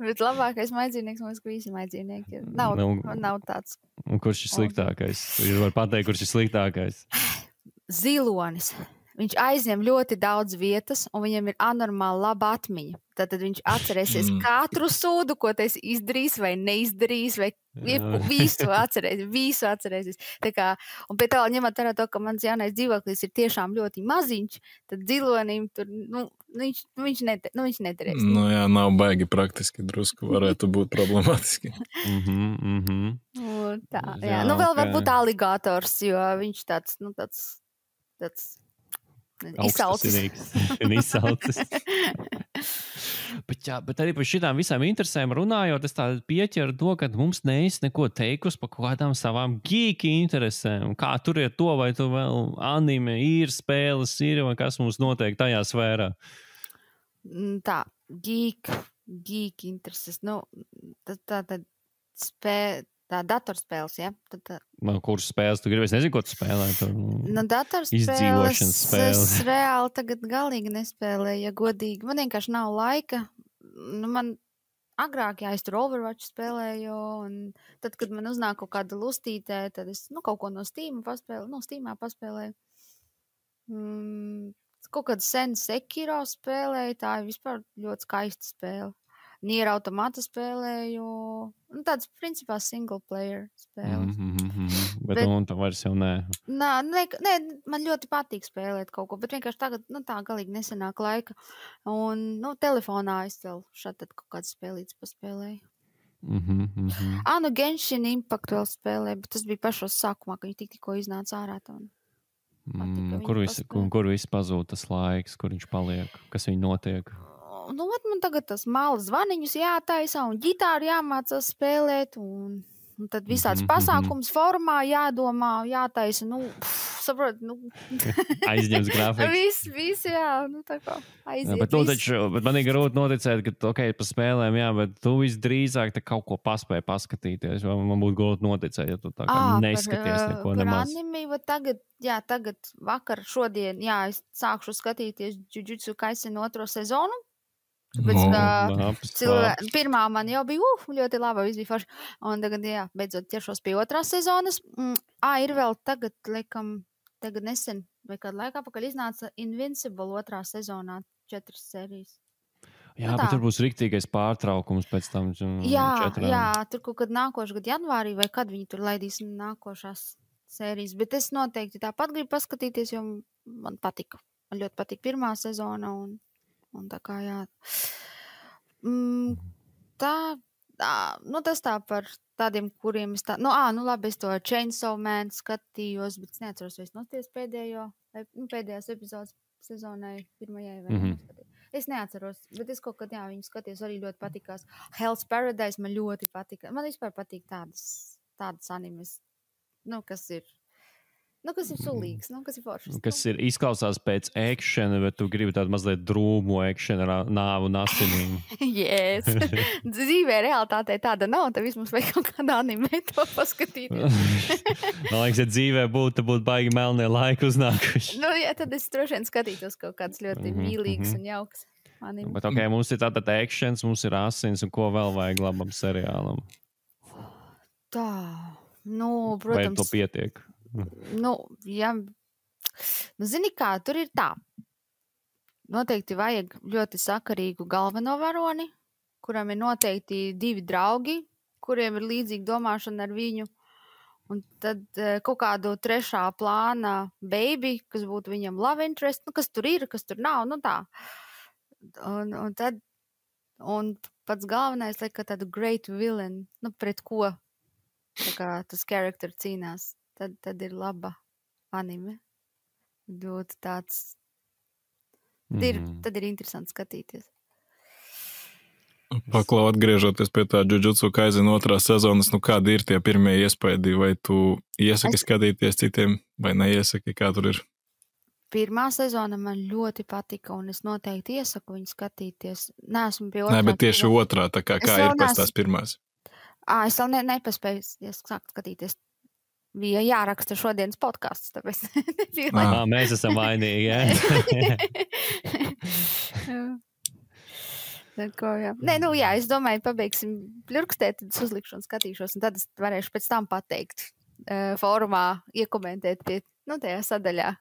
S2: Bet labākais mājdzīvnieks, man liekas, ka visi mājdzīvnieki ir. Nav tāds.
S1: Un kurš ir sliktākais? Jūs var pateikt, kurš ir sliktākais?
S2: zilonis. Viņš aizņem ļoti daudz vietas, un viņam ir anormāli laba atmiņa. Tad viņš atcerēsies katru sūdu, ko tas izdarīs vai neizdarīs, vai visu atcerēsies. Tā kā, un pie tā, ņemot vērā to, ka mans jaunais dzīvoklis ir tiešām ļoti maziņš, tad zilonim tur, viņš nederēs.
S3: Nu jā, nav baigi praktiski, drusku varētu būt problemātiski.
S2: Tā, jā. Nu vēl varbūt aligators, jo viņš tāds
S1: izsalcis. Bet arī par šitām visām interesēm runājot, es tā pieķeru to, ka mums neesi neko teikusi par kādām savām geeki interesēm. Kā tur ir to, vai tu vēl anime ir, spēles ir, vai kas mums notiek tajā sfērā?
S2: Tā, geek intereses. Nu, tā datorspēles, ja?
S1: Kuras spēles tu gribi? Es nezinu, ko tu spēlē.
S2: Datorspēles es reāli tagad galīgi nespēlēju, ja godīgi. Man vienkārši nav laika. Man agrāk, es tur Overwatch spēlēju, un tad, kad man uznāk kaut kāda lustītē, tad es kaut ko no Steamā paspēlēju. Kaut kādu senu Sekiro spēlēju, tā ir vispār ļoti skaista spēle. Nier Automata spēlēju, tāds principā single player spēles.
S1: Bet tā vairs jau nē.
S2: Nē, man ļoti patīk spēlēt kaut ko, bet vienkārši tagad, tā galīgi nesenāk laika. Un, telefonā es vēl šādi kaut kādas spēlītas paspēlēju. Genshin Impact vēl spēlēju, bet tas bija pašos sākumā, ka viņi tikko iznāca ārā.
S1: Kur viss pazūd tas laiks, kur viņš paliek, kas viņu notiek?
S2: Man tagad tas malas zvaniņus jātaisa un ģitāru jāmācās spēlēt un tad visāds pasākums formā jādomā, jātaisa, saprot,
S1: aizņems grafiku.
S2: Viss, jā, tā kā aiziet.
S1: Bet man ir grūti noticēt, ka, pa spēlēm, jā, bet tu visdrīzāk te kaut ko paspēji paskatīties, vai man būtu grūti noticēt, ja tu tā kā neskaties neko nemaz.
S2: Par anime, tagad vakar, šodien, es sākšu skatīties Jujutsu Kaisen 2. sezonu. Pirmā man jau bija ļoti laba, viss bija forši. Un tagad, beidzot ķeršos pie 2. sezonas. Ir vēl tagad nesen, vai kādu laiku apakaļ iznāca Invincible 2. sezonā 4 sērijas.
S1: Jā, bet tur būs riktīgais pārtraukums pēc tam.
S2: Jā, tur kaut kad nākošu gadu janvārī, vai kad viņi tur laidīs nākošās sērijas. Bet es noteikti tāpat gribu paskatīties, jo man patika. Man ļoti patika pirmā sezona un tā kā tas tā par tādiem, kuriem es labi, es to Chainsaw Man skatījos, bet es neatceros, vai es noties pēdējās epizodes sezonai pirmajai vai neskatījos. Es neatceros, bet es kaut kad, viņu skatījos, arī ļoti patikās. Hell's Paradise man ļoti patika. Man vispār patīk tādas animes, kas ir sulīgs, kas ir foršs.
S1: Kas ir izklausās pēc akšana, bet tu gribi tādu mazliet drūmu akšana ar nāvu un asinīm.
S2: Yes. Dzīvē realitātei tāda nav, tad vismaz vajag kaut kādā anime to paskatīties.
S1: Man liekas, ja dzīvē būtu baigi melnie laiki uznākuši.
S2: Tad es droši vien skatītos kaut kāds ļoti mīlīgs un jauks anime.
S1: Bet mums ir tātad akšans, mums ir asins un ko vēl vajag labam seriālam?
S2: Tā, protams.
S1: Vai to pietiek?
S2: Zini kā, tur ir tā. Noteikti vajag ļoti sakarīgu galveno varoni, kuram ir noteikti 2 draugi, kuriem ir līdzīga domāšana ar viņu. Un tad kaut kādu 3. plāna baby, kas būtu viņam love interest, kas tur ir, kas tur nav, tā. Un pats galvenais, ka tādu great villain, pret ko tā kā tas character cīnās. Tad ir laba anime. Ļoti tāds. Tad ir interesanti skatīties.
S3: Paklau, atgriežoties pie tā Jujutsu Kaisen 2. sezonas, kādi ir tie pirmie iespaidi? Vai tu iesaki skatīties citiem, vai neiesaki, kā tur ir?
S2: Pirmā sezona man ļoti patika, un es noteikti iesaku viņu skatīties. Neesmu pie 2.
S3: Nē, bet tieši 2. tā kā ir pēc tās pirmās?
S2: Es vēl nepaspēju sākt skatīties. Bija jāraksta šodienas podcasts, tāpēc nebija laika.
S1: Mēs esam vainīgi, jā.
S2: Es domāju, pabeigsim pļurkstēt, tad es uzlikšu un skatīšos, un tad es varēšu pēc tam pateikt fórumā, iekomentēt pie tajā sadaļā,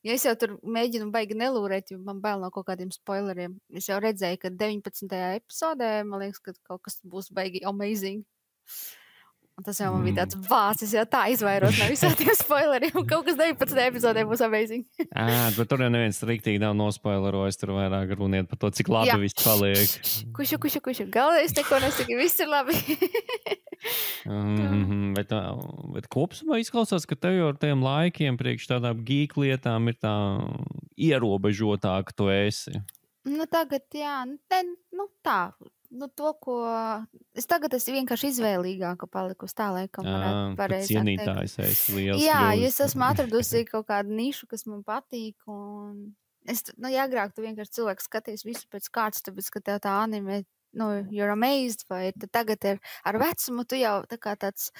S2: Ja es jau tur mēģinu baigi nelūrēt, jo man bail no kaut kādiem spoileriem. Es jau redzēju, ka 19. epizodē, man liekas, ka kaut kas būs baigi amazing. Un tas jau man bija tāds vācis, ja tā izvairos no visām tiem spoileriem. Un kaut kas 19. epizodē būs amazing.
S1: Bet tur jau neviens riktīgi nav nospoilerojis. Tur vairāk runiet par to, cik labi viss paliek.
S2: Kušu. Galvenais neko nesaka, viss ir labi.
S1: Bet kopumā izklausās, ka tev jau ar tiem laikiem priekš tādām geek lietām ir tā ierobežotāk, tu esi.
S2: Nu tagad, jā, tā. To, ko es tagad esmu vienkārši izvēlīgāka palikusi tā, laikam varētu pareizi teikt.
S1: Cienītājs esi liels.
S2: Jā, es esmu atradusi kaut kādu nišu, kas man patīk, un es, agrāk tu vienkārši cilvēks skaties visu pēc kārtas, tāpēc, ka tev tā anime, you're amazed, vai tagad ir ar vecumu, tu jau tā kā tāds,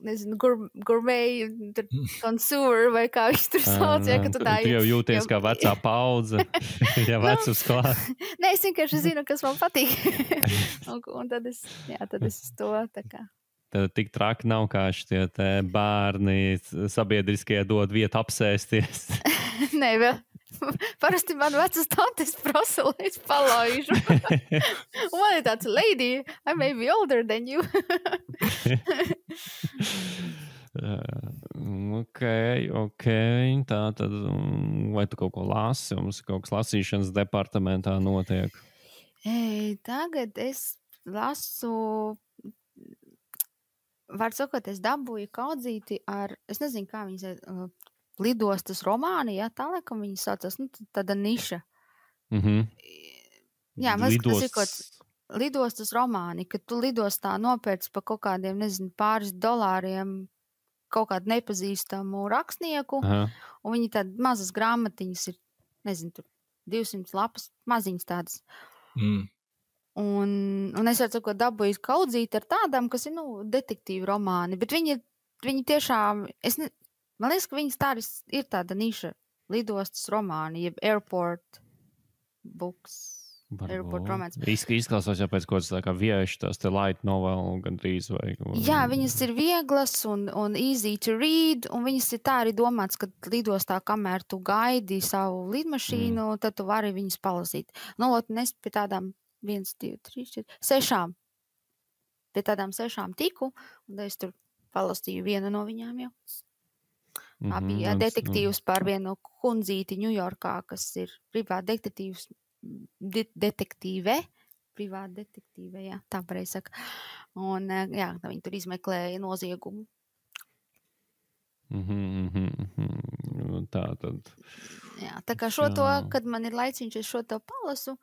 S2: nezinu, gourmet, consumer, vai kā viņš tur sauc, ja, ka tu tā...
S1: Tu jau jūties kā vecā paudze, ja vecums klāt.
S2: Nē, es vienkārši zinu, kas man patīk. un tad es to tā kā.
S1: Tad tik traki nav, kā šitie te bērni sabiedriskajā dod vietu apsēsties.
S2: Nē, vēl. Parasti man vecas tantes prasa, lai es palaižu. Un man ir tāds, lady, I may be older than you.
S1: Ok. Tā tad, vai tu kaut ko lasi? Mums kaut kas lasīšanas departamentā notiek?
S2: Tagad es lasu, var sakot, es dabūju kaudzīti ar, es nezinu, kā viņas lidostas romāni, jā, tā laikam viņi saucas, tāda niša. Jā, lidostas romāni, kad tu lidostā nopērci pa kaut kādiem, nezinu, pāris dolāriem kaut kādu nepazīstamu rakstnieku, un viņi tādas mazas grāmatiņas ir, nezinu, tur 200 lapas, maziņas tādas. Un es varu sakot, dabūju kaudzīt ar tādām, kas ir, detektīvu romāni, bet viņi tiešām, man liekas, ka viņas tā ir tāda niša, lidostas romāni, jeb airport books, airport romāns.
S1: Izklausās jau pēc kaut kāds tā kā vieši tās te light novel gandrīz vai...
S2: Jā, viņas ir vieglas un easy to read, un viņas ir tā arī domāts, ka lidostā, kamēr tu gaidi savu lidmašīnu, tad tu vari viņas palasīt. Un es pie tādām 1, 2, 3, 4, 6. Pie tādām 6 tiku, un es tur palastīju vienu no viņām jau. Tā bija detektīvs par vienu kundzīti Ņujorkā, kas ir privāta detektīve, jā, tā pareizi saka. Un, jā, viņi tur izmeklēja noziegumu.
S1: Tā tad.
S2: Jā, tā kā šo to, kad man ir laiciņš, es šo to palasu.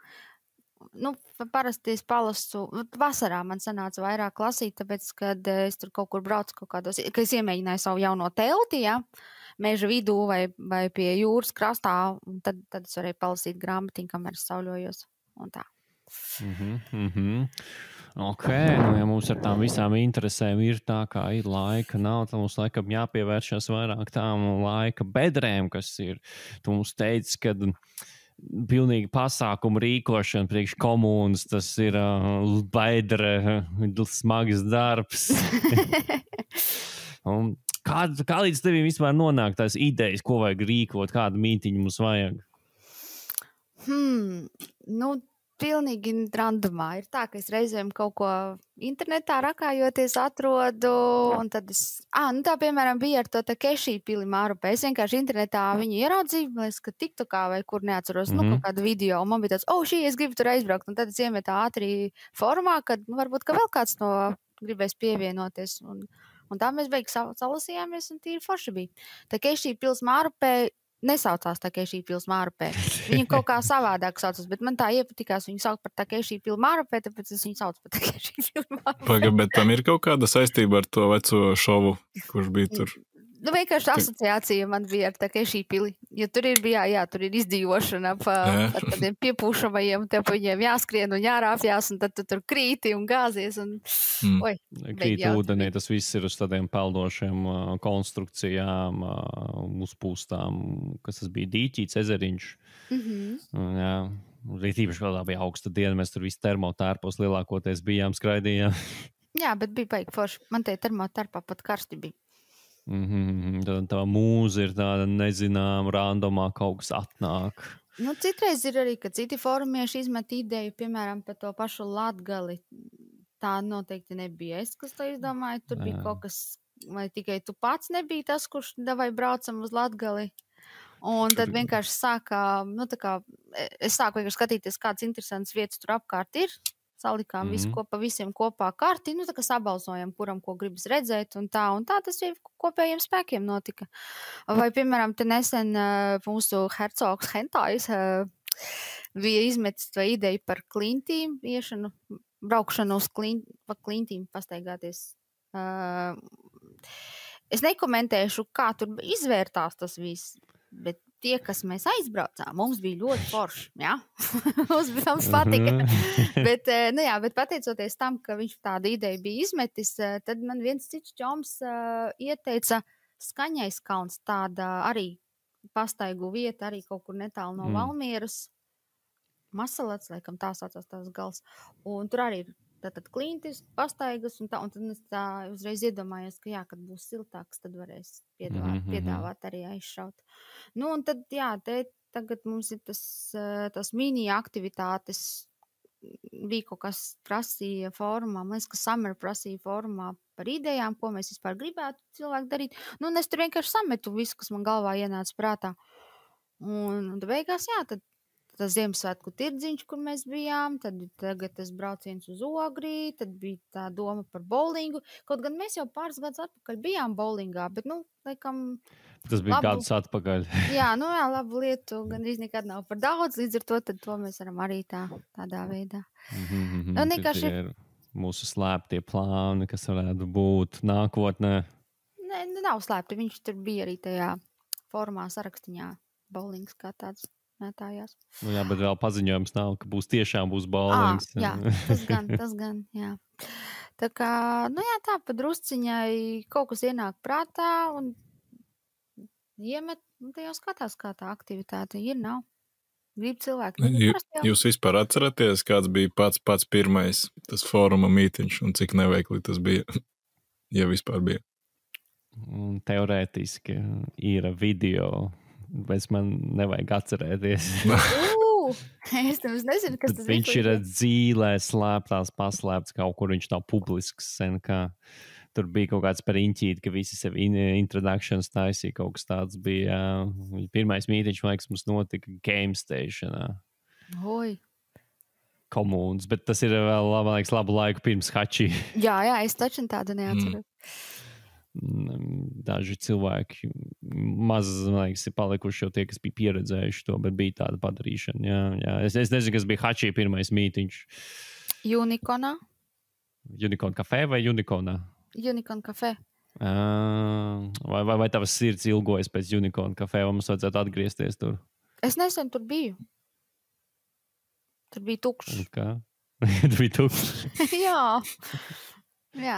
S2: Parasti es palasu, vasarā man sanāca vairāk lasīt, tāpēc, kad es tur kaut kur braucu kaut kādos, ka es iemēģināju savu jauno telti, jā, meža vidū vai pie jūras krastā, un tad es varēju palasīt grāmatiņu, kamēr es sauļojos, un tā.
S1: Ok, ja mums ar tām visām interesēm ir tā, kā ir laika nav, tad mums laikam jāpievēršas vairāk tām laika bedrēm, kas ir. Tu mums teici, kad pilnīgi pasākumu rīkošana priekš komunas, tas ir bedre, smags darbs. Un kā līdz tevim vispār nonāk tās idejas, ko vajag rīkot, kādu mītiņu mums vajag?
S2: Pilnīgi randomā. Ir tā, ka es reizēm kaut ko internetā rakājoties atrodu, un tad tā, piemēram, bija ar to Takeshi pili Mārupē. Es vienkārši internetā viņu ieraudzīju, liekas, ka TikTokā vai kur neatceros, kaut kādu video, un man bija tāds, es gribu tur aizbraukt, un tad es iemetu ātri formā, kad varbūt, ka vēl kāds no gribēs pievienoties, un tā mēs beig salasījāmies, un tīri forši bija. Takeshi pils Mārupē nesaucās Takeshi pils Mārupē. Viņu kaut kā savādāk saucas, bet man tā iepatikās viņu saukt par Takeshi pili Mārupē, tāpēc es viņu saucu par Takeshi pili Mārupē.
S3: Bet tam ir kaut kāda saistība ar to veco šovu, kurš bija tur?
S2: Vienkārši asociācija man bija ar Takeshi pili, jo tur tur ir izdzīvošana pa tādiem piepūšamajiem, tev pa viņiem jāskrien un jārāpjās, un tad tu tur krīti un gāzies, un
S1: krīt ūdenī, tas viss ir uz tādiem peldošiem konstrukcijām, uzpūstām, kas tas bija dīķīts, ezeriņš. Jā, tīpaši kādā bija augsta diena, mēs tur visi termotērpos lielākoties bijām, skraidījām.
S2: Jā, bet bija baigi forši. Man te termotērpā pat karsti bija.
S1: Tad tā mūza ir tāda nezināma, randomā kaut kas atnāk.
S2: Nu, citreiz ir arī, ka citi forumieši izmet ideju, piemēram, par to pašu Latgali. Tā noteikti nebija es, kas to izdomāju. Tur bija kaut kas, vai tikai tu pats nebija tas, kurš davai braucam uz Latgali. Un tad vienkārši es sāku vienkārši skatīties, kādas interesantas vietas tur apkārt ir. Salikām visu visiem kopā karti, tā kā sabalsojam, kuram ko gribas redzēt, un tā tas jau kopējiem spēkiem notika. Vai, piemēram, te nesen mūsu hercogs Hentais bija izmetis to ideju par klintīm, braukšanu uz klintīm pastaigāties. Es nekomentēšu, kā tur izvērtās tas viss, bet tie, kas mēs aizbraucām, mums bija ļoti forši, jā. Mums patika. bet pateicoties tam, ka viņš tādu ideju bija izmetis, tad man viens cits čoms ieteica Skaņais kalns, tāda arī pastaigu vieta, arī kaut kur netālu no Valmieras. Masalats, laikam tā saucās tās gals. Un tur arī ir tātad klintis, pastaigas, un tad es tā uzreiz iedomājos, ka jā, kad būs siltāks, tad varēs piedāvāt arī aizšaut. Un tad, jā, tagad mums ir tas mini aktivitātes, bija kaut kas prasīja fórumā, man liekas, ka Summer prasīja fórumā par idejām, ko mēs vispār gribētu cilvēku darīt. Un es tur vienkārši sametu visu, kas man galvā ienāca prātā. Un beigās, jā, tad tas Ziemassvētku tirdziņš, kur mēs bijām, tad tagad tas brauciens uz Ogri, tad bija tā doma par bowlingu. Kaut gan mēs jau pāris gadus atpakaļ bijām bowlingā, bet, laikam...
S1: Tas bija gadus atpakaļ.
S2: Jā, labu lietu gandrīz nekad nav par daudz, līdz ar to mēs varam arī tādā veidā.
S1: Vienkārši ir mūsu slēptie plāni, kas varētu būt nākotnē.
S2: Nē, nav slēpti, viņš tur bija arī tajā formā sarakstiņā bowlings kā tāds. Mētājās.
S1: Jā, bet vēl paziņojums nav, ka tiešām būs bowlings.
S2: Jā, tas gan, jā. Tā kā, tā pa drusciņai kaut kas ienāk prātā un iemet, te jau skatās, kā tā aktivitāte ir, nav. Grib cilvēki.
S3: Jūs vispār atceraties, kāds bija pats pirmais tas fóruma mītiņš un cik neveikli tas bija, ja vispār bija?
S1: Teorētiski ir video, bet man nevajag atcerēties.
S2: Es nezinu, kas tas
S1: viņš ir dzīlē paslēpts kaut kur, viņš nav publisks sen, kā tur bija kaut kāds par inķīti, ka visi sev introductions taisīja, kaut kas tāds bija. Pirmais mītiņš, man liekas, mums notika Game Stationā.
S2: Oi.
S1: Komūns, bet tas ir vēl, man liekas, labu laiku pirms Hači.
S2: Jā, es taču tādu neatceru.
S1: Daži cilvēki maz, man liekas, ir palikuši jau tie, kas bija pieredzējuši to, bet bija tāda padarīšana. Jā. Es nezinu, kas bija Hači pirmais mītiņš.
S2: Unikonā.
S1: Unicorn kafē vai Unikonā?
S2: Unicorn kafē.
S1: Vai tavas sirds ilgojas pēc Unicorn kafē, vai mums vajadzētu atgriezties tur?
S2: Es nesen tur biju. Tur bija tukšs.
S1: Kā? Tur bija tukšs?
S2: Jā. Nē,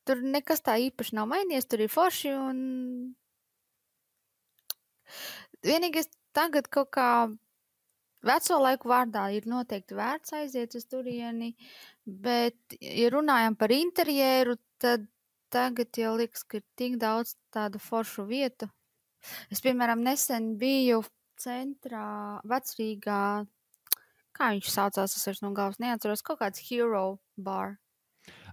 S2: tur nekas tā īpaši nav mainījies, tur ir forši un vienīgais tagad kaut kā veco laiku vārdā ir noteikti vērts aiziet uz turieni, bet, ja runājam par interjeru, tad tagad jau liekas, ka ir tik daudz tādu foršu vietu. Es, piemēram, nesen biju centrā, Vecrīgā, kā viņš saucās, es vairs no galvas neatceros, kaut kāds Hero bar.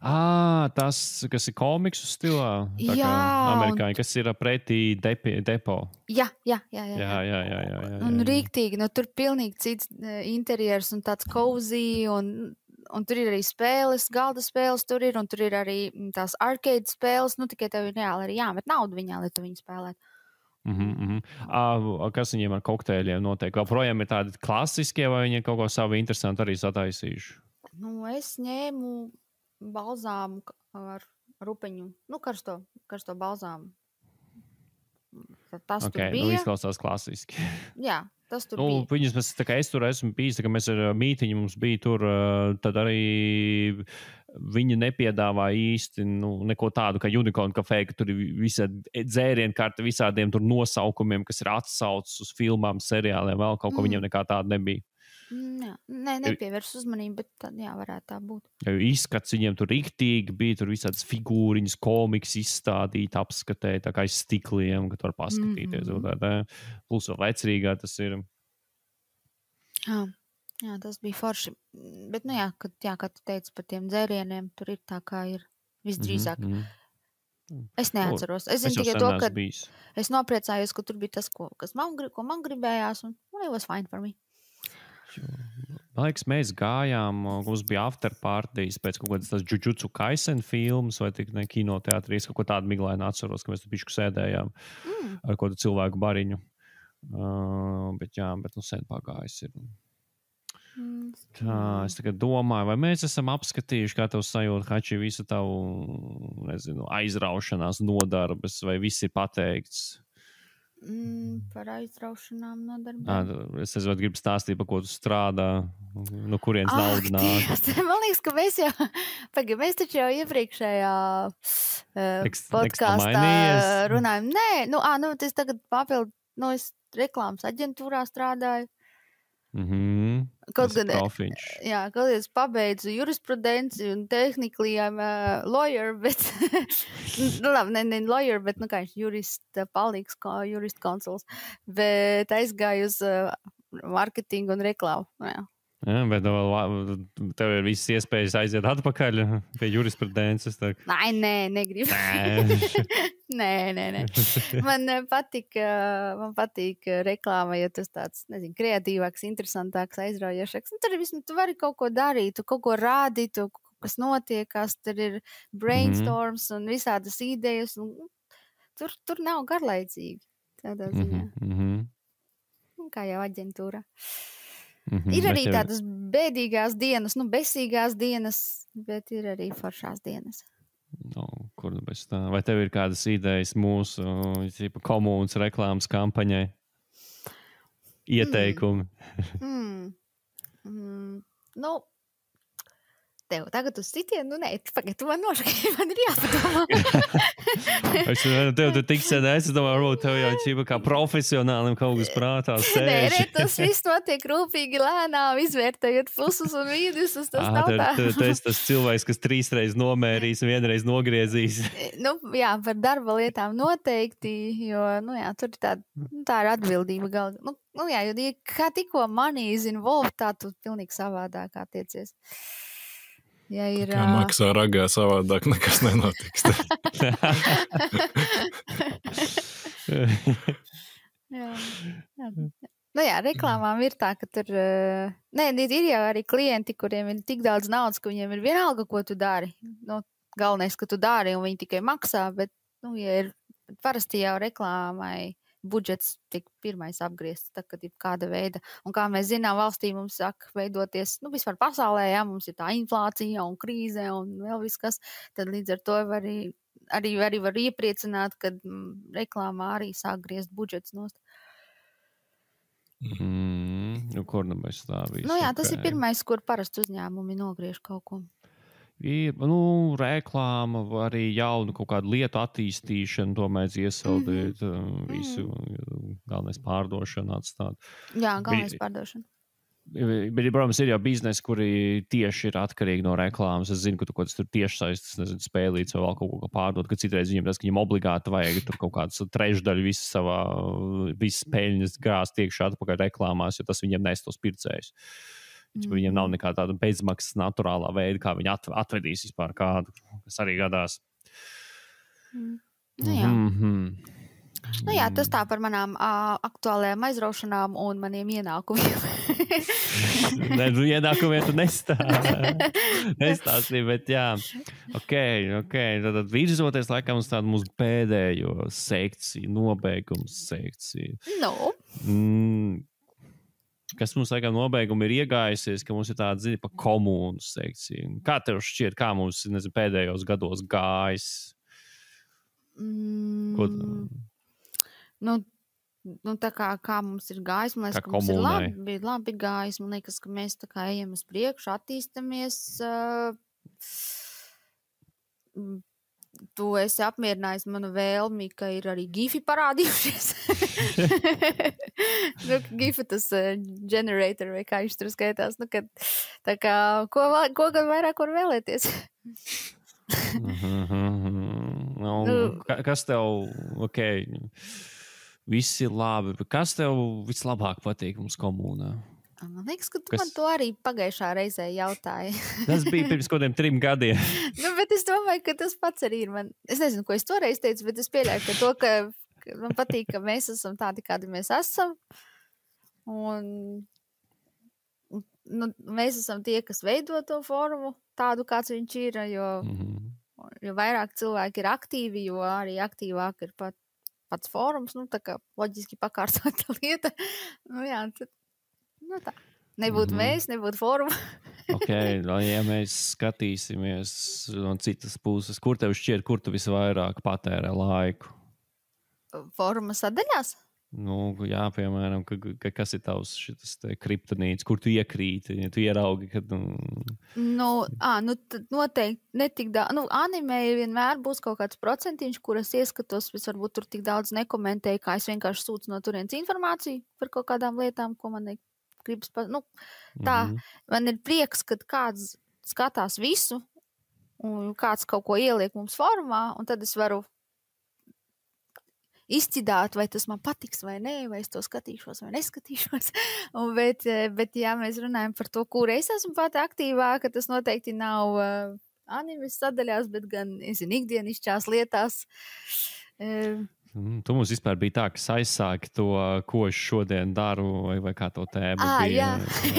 S1: Tas, kas ir komiksu stilā, tā kā amerikāņi, kas ir pretī depo.
S2: Jā. Un
S1: jā.
S2: rīktīgi, tur pilnīgi cits interjers un tāds cozy, un tur ir arī spēles, galda spēles tur ir, un tur ir arī tās arcade spēles, tikai tev ir reāli arī jāmet naudu viņā, lai tu viņu spēlētu.
S1: Kas viņiem ar kokteļiem notiek? Vēl projām ir tādi klasiskie, vai viņi kaut ko savu interesantu arī sataisījuši?
S2: Es ņēmu balzāmu ar rupeņu, karsto balzāmu. Tas tur bija.
S1: Izklausās klasiski.
S2: Jā, tas tur bija.
S1: Viņas, es tur esmu bijis, ka mēs ar mītiņu mums bija tur, tad arī viņi nepiedāvā īsti neko tādu kā Unicorn kafē, ka tur ir visādi dzērienkarti, visādiem tur nosaukumiem, kas ir atsaucis uz filmām, seriāliem, vēl kaut ko viņiem nekā tāda nebija.
S2: Jā, nepievērš uzmanību, bet tad, jā, varētu tā būt.
S1: Izskats viņiem tur riktīgi bija, tur visādas figūriņas, komiks izstādīt, apskatēt, tā kā aiz stikliem, ka tu var paskatīties. Plus vēl vecrīgā tas ir.
S2: Jā, tas bija forši. Bet, kā tu teici par tiem dzērieniem, tur ir tā kā ir visdrīzāk. Es neatceros. Es zinu tikai to, ka es nopriecājos, ka tur bija tas, ko man gribējās, un it was fine for me.
S1: Man liekas, mēs gājām, mums bija after parties pēc kaut kādas tās Jujutsu Kaisen filmas vai tik ne kinoteātrī, kaut ko tādu miglaini atceros, ka mēs tur bišķi sēdējām ar kādu cilvēku bariņu. Bet sen pagājis ir. Tā, es tagad domāju, vai mēs esam apskatījuši, kā tev sajūt, Hači, visu tavu, aizraušanās nodarbes, vai viss ir pateikts?
S2: Par aizraušanām nodarbēm.
S1: Es gribu stāstīt, par ko tu strādā, no kurienes nauda nāk.
S2: Man liekas, ka mēs taču jau iepriekšējā podkāstā runājam. Nē, es tagad papildu, es reklāmas aģentūrā strādāju. Kaut gan es pabeidzu jurisprudenci un technically I'm a lawyer, bet ne lawyer, bet jurista palīgs, jurist konsuls, bet aizgāju uz marketingu un reklāmu.
S1: Bet tev ir visas iespējas aiziet atpakaļ pie jurisprudences.
S2: Nē, negribu. Nē. Man patīk reklāma, ja tas tāds, kreatīvāks, interesantāks, aizraujošāks. Tur vismaz tu vari kaut ko darīt, tu kaut ko rādīt, tu kas notiekās, tur ir brainstorms un visādas idejas. Tur nav garlaicīgi. Tādā ziņā. Kā jau aģentūra. Ir arī tādas bēdīgās dienas, besīgās dienas, bet ir arī foršās dienas.
S1: Kur bez tā? Vai tev ir kādas idejas mūsu komunas reklāmas kampaņai? Ieteikumi?
S2: Tev tagad uz citienu, pagaid, tu man nošaki, man ir jāpadomā.
S1: Tev tik sen, es domāju, varbūt tev jau ķipa kā profesionālim kaut kas prātā sēž.
S2: Nē, tas viss notiek rūpīgi, lēnām, izvērtējot plusus un mīnusus, tas nav tā.
S1: Tu esi tas cilvēks, kas 3 reizes nomērīs un 1 reizi nogriezīs.
S2: Par darba lietām noteikti, jo, tur ir tā ir atbildība galva. Jo kā tikko money is involved, tā tu pilnīgi savādāk attiecies. Ja ir,
S3: kā maksā ragā savādāk, nekas nenotiks.
S2: Reklāmām ir tā, ka tur ir jau arī klienti, kuriem ir tik daudz naudas, ka viņiem ir vienalga, ko tu dari. Galvenais, ka tu dari un viņi tikai maksā, bet, ja ir parasti jau reklāmai budžets tik pirmais apgriezts, tā, kad ir kāda veida. Un kā mēs zinām, valstī mums saka veidoties, vispār pasaulē, mums ir tā inflācija un krīze un vēl viss kas, tad līdz ar to arī var iepriecināt, kad reklāmā arī sāk griezt budžets nost.
S1: Kur mēs tā visu?
S2: Tas ir pirmais, kur parasti uzņēmumi nogriež kaut ko.
S1: Ir reklāma, arī jaunu kaut kādu lietu attīstīšanu, to mēs iesaldēt, visu galvenais pārdošanu atstāt.
S2: Jā, galvenais pārdošana.
S1: Bet, protams, ir jau biznesi, kuri tieši ir atkarīgi no reklāmas. Es zinu, ka tu kaut kāds tur tiešsaistes spēlīts vai vēl kaut ko pārdot, ka citreiz viņiem tas, ka viņiem obligāti vajag tur kaut kāds trešdaļu visas peļņas gāzt iekšā atpakaļ reklāmās, jo tas viņiem nes tos pircējus. Viņiem nav nekā tāda bezmaksas naturālā veida, kā viņi atvedīs vispār kādu, kas arī gadās.
S2: Tas tā par manām aktuālajām aizraušanām un maniem ienākumiem.
S1: Ienākumiem tu nestāstīji, bet jā. Ok. Tad virzoties laikam uz tādu mūsu pēdējo sekciju, nobeigums sekciju. Kas mums laikam nobeigumi ir iegājusies, ka mums ir tāda ziņa par komūnu sekciju. Kā tev šķiet, kā mums pēdējos gados gājis?
S2: Tā kā mums ir gājis, man liekas, ka mums ir labi gājis. Man liekas, ka mēs tā kā ejam uz priekšu, attīstamies. tu esi apmierinājis manu vēlmi, ka ir arī gifi parādījušies. Gifi tas generator vai kā viņš tur skaitās. Tā kā, ko gan vairāk var vēlēties?
S1: Kas tev, viss ir labi, bet kas tev vislabāk patīk mums komunā?
S2: Man liekas, ka tu man to arī pagājušā reizē jautāji.
S1: Tas bija pirms kaut kādiem 3 gadiem.
S2: Bet es domāju, ka tas pats arī ir man. Es nezinu, ko es toreiz teicu, bet es pieļauju, ka man patīk, ka mēs esam tādi, kādi mēs esam. Un mēs esam tie, kas veido to fórumu tādu, kāds viņš ir, jo vairāk cilvēki ir aktīvi, jo arī aktīvāk ir pats fórums, tā kā loģiski pakārtota lieta. Tā. Nebūtu mēs, nebūtu fóruma.
S1: Ja mēs skatīsimies no citas puses, kur tev šķiet, kur tu visvairāk patērē laiku?
S2: Fóruma sadaļās?
S1: Jā, piemēram, kas ir tavs šitas kriptonīts, kur tu iekrīti, ja tu ieraugi, kad...
S2: Tad noteikti netik daudz. Anime vienmēr būs kaut kāds procentiņš, kuras ieskatos, es varbūt tur tik daudz nekomentēju, kā es vienkārši sūcu no turienes informāciju par kaut kādām lietām, ko man gribas... Tā, man ir prieks, kad kāds skatās visu, un kāds kaut ko ieliek mums formā, un tad es varu izcidāt, vai tas man patiks vai nē, vai es to skatīšos vai neskatīšos. Bet ja mēs runājam par to, kur es esmu pati aktīvāka, tas noteikti nav animes sadaļās, bet gan, ikdienišķās lietās.
S1: Tu mums vispār bija tā, kas aizsāki to, ko es šodien daru, vai kā to tēmu bija.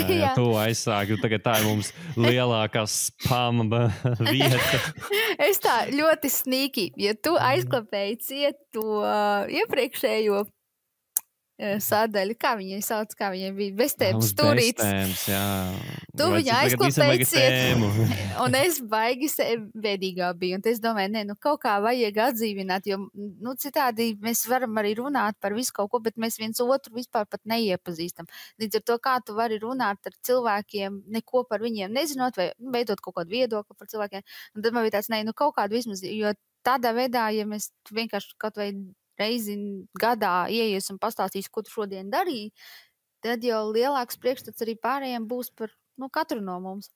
S1: Jā, tu aizsāki, tagad tā ir mums lielākā spama vieta.
S2: Es tā ļoti sneaky, ja tu aizklapēji cietu iepriekšējo sadaļu, kā viņai sauc, kā viņai bija beztēmas stūrītis. Tu viņu aizklapēji cietu, un es baigi bēdīgā biju, un es domāju, kaut kā vajag atdzīvināt, jo, citādi mēs varam arī runāt par visu kaut ko, bet mēs viens otru vispār pat neiepazīstam. Līdz ar to, kā tu vari runāt ar cilvēkiem, neko par viņiem nezinot, vai veidot kaut kādu viedokli par cilvēkiem, un tad man bija tāds, kaut kādu vismaz, jo tādā veidā, ja mēs vienkārši kaut vai reizi gadā ieies un pastāstīs, ko tu šodien darīji, tad jau lielāks priekšstats arī pārējiem būs par katru no mums.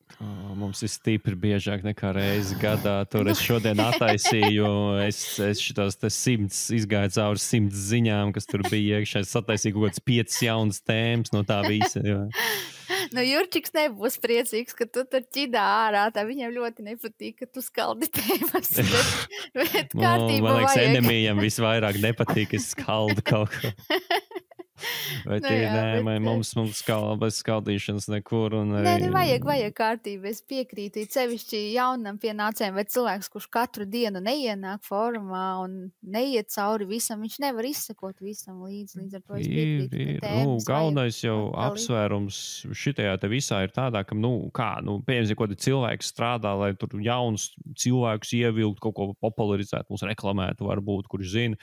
S1: Mums ir stipri biežāk nekā reizi gadā. Tur es šodien attaisīju, es šitos 100 izgāju cauri 100 ziņām, kas tur bija iekšā. Es attaisīju kaut kāds 5 jaunas tēmas no tā visa.
S2: Jurčiks nebūs priecīgs, ka tu tur ķidā ārā. Tā viņam ļoti nepatīk, ka tu skaldi tēmas. Bet kārtībā
S1: man liekas,
S2: vajag.
S1: enemijam visvairāk nepatīk, ka es skaldu kaut ko. Mums bez skaldīšanas nekur.
S2: Vajag kārtību. Es piekrītu, sevišķi jaunam pienācējiem, vai cilvēks, kurš katru dienu neienāk fórumā un neiet cauri visam, viņš nevar izsekot visam līdz ar to es piekrītu.
S1: Galvenais jau apsvērums šitajā te visā ir tādā, ka, pieņemsim, ko te cilvēks strādā, lai tur jaunus cilvēkus ievilkt, kaut ko popularizēt, mums reklamētu varbūt, kurš zina.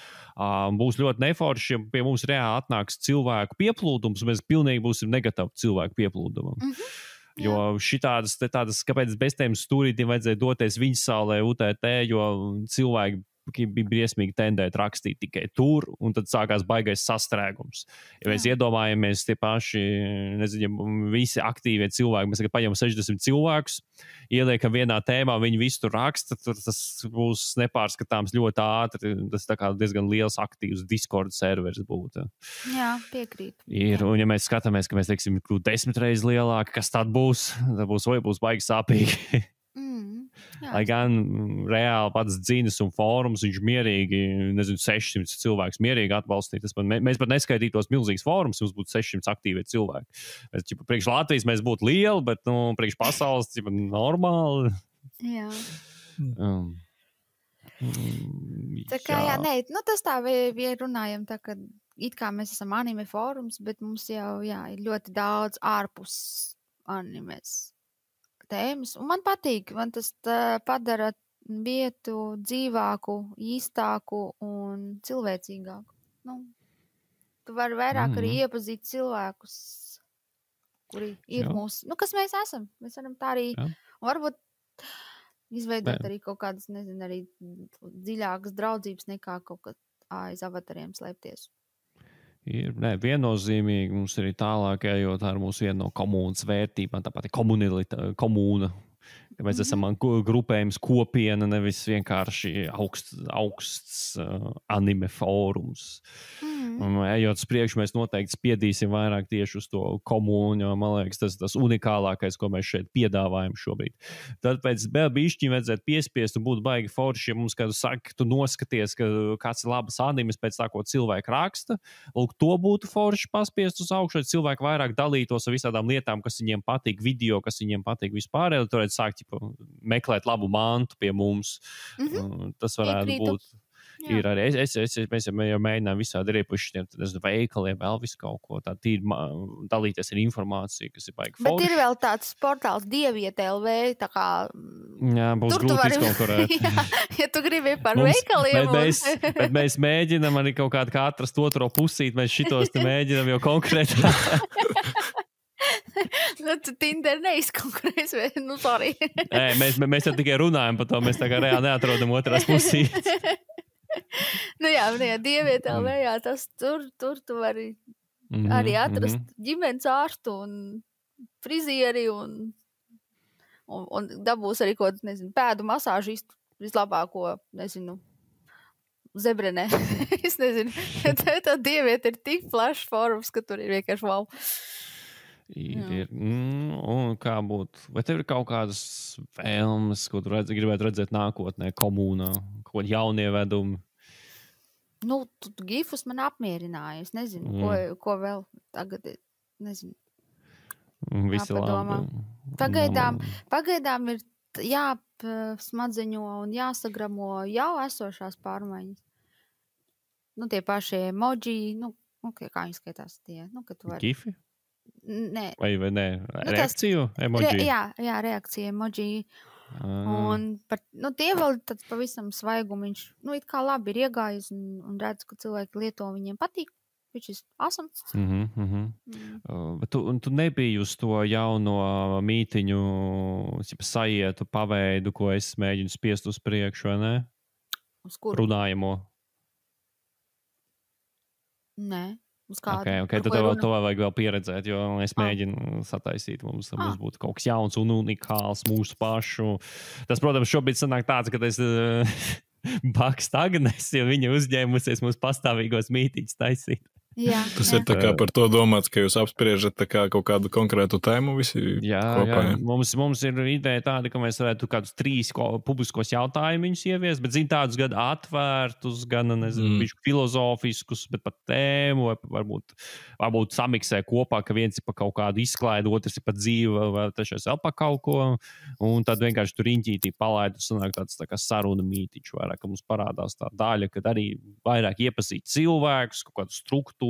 S1: Būs ļoti neforši, ja pie mums reāli atnāks cilvēku pieplūdums, mēs pilnīgi būsim negatavi cilvēku pieplūdumam. Jo šitādas, kāpēc bez tiem stūrītiem vajadzēja doties viņa saulē UTT, jo cilvēki bija briesmīgi tendēt rakstīt tikai tur, un tad sākās baigais sastrēgums. Ja mēs iedomājamies tie paši, visi aktīvie cilvēki, mēs tagad paņemam 60 cilvēkus, ieliekam vienā tēmā, viņi visu tur raksta, tur tas būs nepārskatāms ļoti ātri, tas tā kā diezgan liels aktīvs Discord servers būtu.
S2: Jā, piekrīt.
S1: Un ja mēs skatāmies, ka mēs, teiksim, 10 reizes lielāki, kas tad būs baigi sāpīgi. Lai gan reāli pats dzīves un fórums, viņš mierīgi, 600 cilvēkus mierīgi atbalstīt. Mēs pat neskaitītos milzīgs fórums, mums būtu 600 aktīvie cilvēki. Priekš Latvijas mēs būtu lieli, bet priekš pasaules normāli.
S2: Jā. Tā kā, tas tā, ja runājam tā, ka it kā mēs esam anime fórums, bet mums jau, ir ļoti daudz ārpus animes tēmas, un man patīk, man tas padara vietu dzīvāku, īstāku un cilvēcīgāku. Tu vari vairāk arī iepazīt cilvēkus, kuri ir mūsu, kas mēs esam. Mēs varam tā arī, un varbūt, izveidot arī kaut kādas, nezinu, arī dziļākas draudzības nekā kaut kā aiz avatariem slēpties.
S1: Viennozīmīgi mums arī tālāk ejot ar mūsu vienu no komunas vērtībām, tāpat komūna. Mēs esam grupējums kopiena, nevis vienkārši augsts anime fórums. Ejot uz priekšu, mēs noteikti spiedīsim vairāk tieši uz to komūnu, jo, man liekas, tas unikālākais, ko mēs šeit piedāvājam šobrīd. Tad pēc bišķiņ vajadzētu piespiest un būt baigi forši, ja mums kādu saka, tu noskaties, ka kāds ir labas animes pēc tā, ko cilvēki raksta. Lūk, to būtu forši paspiest uz augšu, lai cilvēki vairāk dalītos ar visādām lietām, kas viņiem patīk, video, kas viņiem patīk vispār, lai tu varētu sākt meklēt labu mantu pie mums. Tas varētu būt. Ir arī, mēs jau mēģinām visādi riepušiem veikaliem, vēl visu kaut ko tādu tīri dalīties ar informāciju, kas ir baigi forši.
S2: Bet ir vēl tāds portāls Dieviet.lv, tā kā...
S1: Jā, būs grūti izkonkurēt.
S2: Ja tu gribi par veikaliem.
S1: Bet mēs mēģinām arī kaut kādu kā atrast otro pusīt, mēs šitos te mēģinām jau konkrētāk.
S2: Nu, tu Tinder neizkonkurēs, vai? Nu, sorry.
S1: Mēs jau tikai runājam par to, mēs tā kā reāli neatrodam otrās pusītes.
S2: Nu jā, Dieviet.lv, jā, tas tur tu vari arī atrast ģimenes ārstu un frizieri un dabūs arī kaut, nezinu, pēdu masāžistu vislabāko, nezinu, Zebrenē. Es nezinu, tā Dieviet ir tik plašs fórums, ka tur ir vienkārši wow.
S1: Un kā būtu? Vai tev ir kaut kādas vēlmes, ko tu gribētu redzēt nākotnē, komūnā, kaut kādi jaunievedumi?
S2: Nu, gifus man apmierināja. Es nezinu, ko vēl tagad, nezinu.
S1: Visi labi.
S2: Pagaidām ir jāsmadzeņo un jāsagramo jau esošās pārmaiņas. Nu, tie paši emoji, kā viņi skaitās tie? Kad tu vari...
S1: Gifi?
S2: Nē.
S1: Vai nē? Reakciju emoji?
S2: Jā, reakcija emoji. Un tie vēl tāds pavisam svaigumiņš. It kā labi ir iegājis un redz, ka cilvēki lieto, viņiem patīk. Viņš ir awesome.
S1: Bet tu nebiji uz to jauno mītiņu sajietu paveidu, ko es mēģinu spiest uz priekšu, vai ne?
S2: Uz kuru?
S1: Runājamo.
S2: Nē.
S1: Okay, tad to vajag vēl pieredzēt, jo es mēģinu sataisīt. Mums būtu kaut kas jauns un unikāls mūsu pašu. Tas, protams, šobrīd sanāk tāds, ka es bakstu Agnes, jo viņa uzņēmusies mūsu pastāvīgos mītīņus taisīt.
S2: Jā,
S3: tas ir tā kā par to domāts, ka jūs apspriežat tā kā kaut kādu konkrētu tēmu visi kopā.
S1: Jā. Mums ir ideja tāda, ka mēs varētu kādus 3 publiskos jautājumus ieviest, bet tādus gan atvērtus, gan, nezinu, filozofiskus, bet par tēmu, varbūt samiksē kopā, ka viens ir par kaut kādu izklaidu, otrs ir par dzīvi, vai trešais vēl par kaut ko, un tad vienkārši tur riņķītī palaidu, sanāk tāds tā kā saruna mītiņš vairāk, ka mums parādās tā daļa, kad arī vairāk iepazīt cilvēkus, kaut kādu struktūru,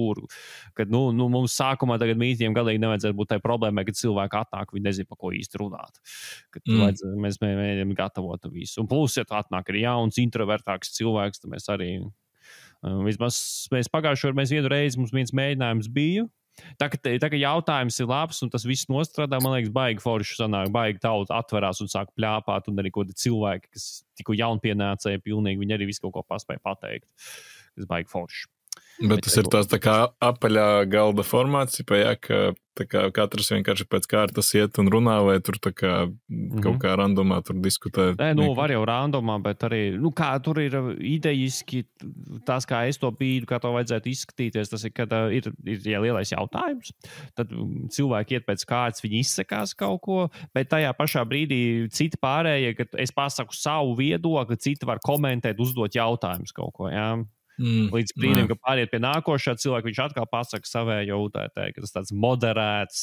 S1: kad mums sākumā tagad mītiem galīgi nevajadzētu būt tai problēmai, kad cilvēki atnāk, viņi nezin, pa ko īsti runāt. Mēs mēģinām gatavot visu. Un plus, ja tu atnāk arī jauns, introvertāks cilvēks, tad mēs arī, vismaz mēs pagājušajā mēs vienu reizi, mums viens mēģinājums bija. Tā ka jautājums ir labs un tas viss nostrādā, man liekas, baigi forši sanāk, baigi tauta atverās un sāk pļāpāt, un arī kaut cilvēki, kas tikko jaunpienācēji pilnīgi, viņi arī visu kaut ko paspēja pateikt. Tas baigi forši.
S3: Bet tas ir tās tā kā apaļā galda formāts, ka tā kā katrs vienkārši pēc kārtas iet un runā, vai tur tā kā kaut kā randomā tur diskutē?
S1: Var jau randomā, bet arī, kā tur ir idejiski, tās kā es to bīdu, kā to vajadzētu izskatīties, tas ir, kad ir lielais jautājums, tad cilvēki iet pēc kārtas, viņi izsakās kaut ko, bet tajā pašā brīdī citi pārējie, kad es pasaku savu viedokli, citi var komentēt, uzdot jautājumus kaut ko, jā. Līdz brīdim, ka pāriet pie nākošā cilvēka, viņš atkal pasaka savējo UTT, ka tas tāds moderēts,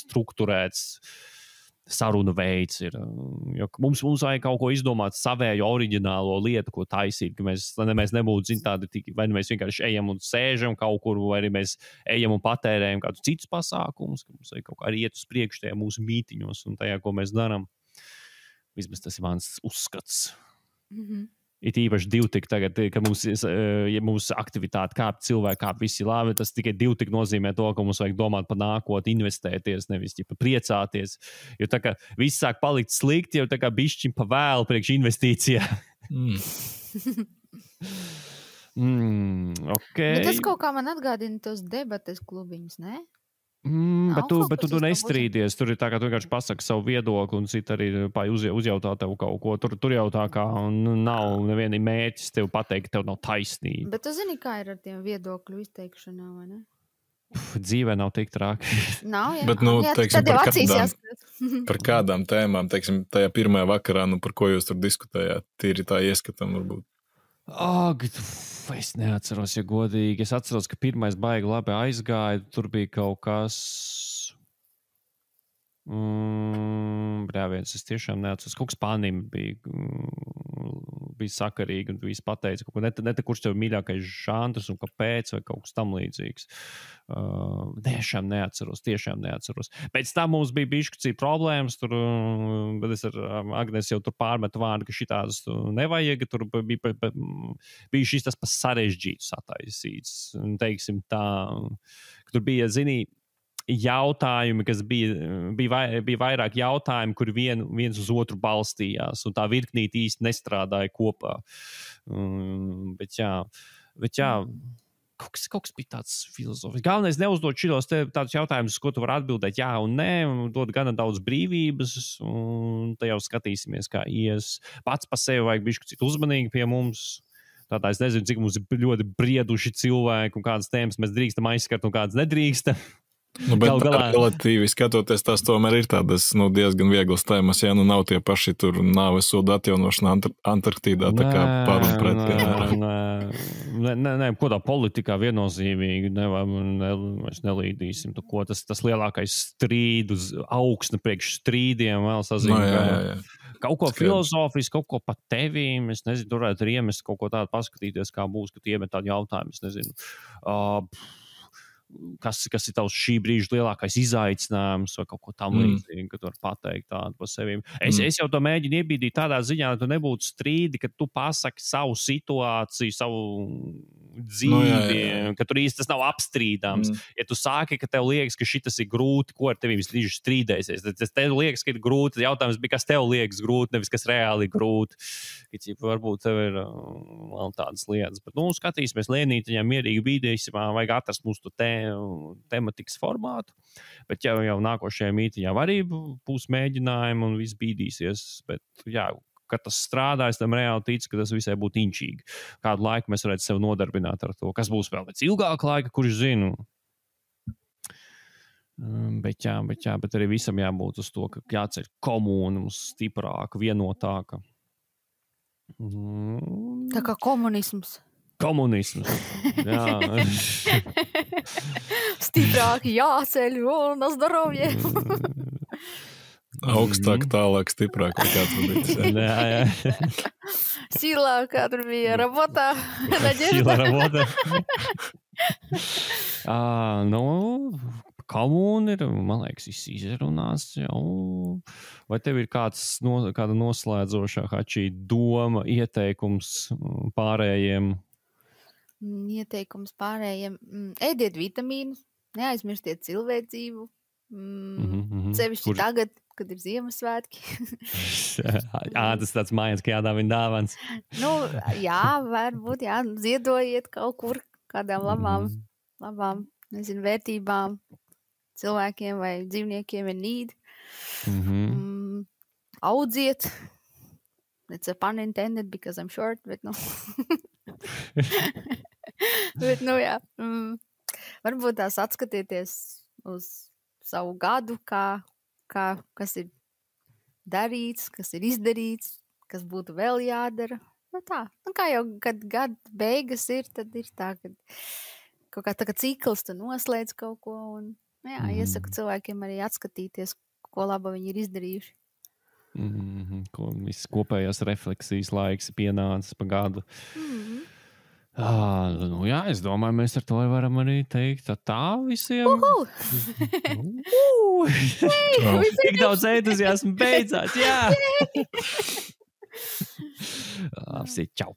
S1: strukturēts sarunu veids ir. Jo mums vajag kaut ko izdomāt savējo oriģinālo lietu, ko taisīt, ka mēs nebūtu tādi, vai mēs vienkārši ejam un sēžam kaut kur, vai arī mēs ejam un patērējam kādus citus pasākumus, ka mums vajag kaut kā arī iet uz priekšu tajā mūsu mītiņos un tajā, ko mēs darām. Vismaz tas ir mans uzskats. it īpaši divtik tagad, ka mūsu aktivitāte kāp cilvēki, kāp visi labi, tas tikai divtik nozīmē to, ka mums vajag domāt par nākotni, investēties, nevis priecāties. Jo tā kā viss sāk palikt slikti, jau tā kā bišķiņ pa vēlu priekš investīcijā. Okay.
S2: Bet tas kaut kā man atgādina tos debates klubiņus, ne?
S1: Bet tu nestrīdies. Tur ir tā, ka tu vienkārši pasaki savu viedokli un citi arī uzjautā tev kaut ko. Tur jau tā kā nav neviena mērķis tev pateikt, ka tev nav taisnība.
S2: Bet tu zini, kā ir ar tiem viedokļu izteikšanām, vai ne?
S1: Dzīvē nav tik traki.
S2: Nav, jā.
S3: Bet, teiksim, par kādām tēmām, teiksim, tajā pirmajā vakarā, par ko jūs tur diskutējāt, tīri tā ieskatam varbūt.
S1: Es neatceros, ja godīgi. Es atceros, ka pirmais baigi labi aizgāja. Tur bija kaut kas... Brāviens, es tiešām neatceros. Kaut kas Spānijam bija sakarīgi un viss pateica. Kurš tev mīļākais žanrs un kāpēc vai kaut kas tam līdzīgs. Tiešām neatceros. Pēc tam mums bija bišķi problēmas. Bet es ar Agnes jau tur pārmetu vārdu, ka šitādas nevajag. Tur bija šis tas pa sarežģītu sataisīts. Teiksim tā, ka tur bija, jautājumi, kas bija vairāk jautājumi, kur viens uz otru balstījās, un tā virknīt īsti nestrādāja kopā. Bet jā, kaut kas bija tāds filozofisks. Galvenais neuzdot šitos tādus jautājumus, ko tu vari atbildēt jā un nē, un dod gana daudz brīvības, un te jau skatīsimies, kā ies. Pats pa sevi vajag bišķi citu uzmanīgi pie mums. Tādā es nezinu, cik mums ir ļoti brieduši cilvēki, un kādas tēmas mēs drīkstam aizskart, un kādas nedrīkstam.
S3: Bet relatīvi skatoties, tās tomēr ir tādas diezgan vieglas tēmas, ja nav tie paši tur nāves soda atjaunošana Antarktīdā, tā kā par un pret.
S1: Nē, ko tā politikā viennozīmīgi mēs nelīdīsim. Tas lielākais strīdus, augsne priekš strīdiem vēl sazīmē. Kaut ko filozofisku, kaut ko pat tevīm, es nezinu, tur varētu iemest kaut ko tādu paskatīties, kā būs, kad iemet tādu jautājumu, es nezinu. Kas ir tavs šī brīža lielākais izaicinājums vai kaut ko tam līdzīgi, ka tu vari pateikt tādu par sevīm. Es jau to mēģinu iebīdīt tādā ziņā, lai tu nebūtu strīdi, ka tu pasaki savu situāciju, savu dzīvi, ka tur īsti tas nav apstrīdams. Ja tu sāki, ka tev liekas, ka šitas ir grūti, ko ar tevi vislīdz strīdēsies, tad tev liekas, ka ir grūti, jautājums bija, kas tev liekas grūti, nevis kas reāli grūti. Varbūt tev ir vēl tādas lietas, bet skatīsimies lēnītiņā, mierīgi bīdīsim, vajag atrast mūsu tematikas formātu, bet jau nākošajā mītiņā arī būs mēģinājumi un viss bīdīsies, bet kad tas strādājas, tam reāli tic, ka tas visai būtu inčīgi. Kādu laiku mēs varētu sev nodarbināt ar to, kas būs vēl pēc ilgāka laika, kurš zinu. Bet arī visam jābūt uz to, ka jāceļ komūna mums stiprāka, vienotāka.
S2: Tā kā komunisms.
S1: Jā.
S2: Stiprāki jāceļ un zdravie.
S3: Augstāk, tālāk, stiprāk.
S1: Jā.
S2: Sila, kā tur bija rabota.
S1: Sila rabota. Komūna ir, man liekas, izrunās jau. Vai tev ir kāda noslēdzošā hačī doma, ieteikums pārējiem?
S2: Ieteikums pārējiem. Ēdiet vitamīnus, neaizmirstiet cilvēcību. Sevišķi tagad, kad ir Ziemassvētki.
S1: Tas tāds mājas, ka jādāvina dāvans.
S2: Varbūt, ziedojiet kaut kur kādām labām, nezinu, vērtībām cilvēkiem vai dzīvniekiem ir need. Audziet. It's a pun intended because I'm short, bet bet, jā. Varbūt tās atskatieties uz savu gadu, kas ir darīts, kas ir izdarīts, kas būtu vēl jādara. Kā jau, kad gada beigas ir, tad ir tā, ka kaut kā tā kā cikls, tu noslēdz kaut ko un, iesaku cilvēkiem arī atskatīties, ko laba viņi ir izdarījuši.
S1: Viss kopējās refleksijas laiks pienācis pa gadu. Es domāju, mēs ar to varam arī teikt tā visiem. Tik daudz entuziasmu beidzās, jā! Klausīt, čau!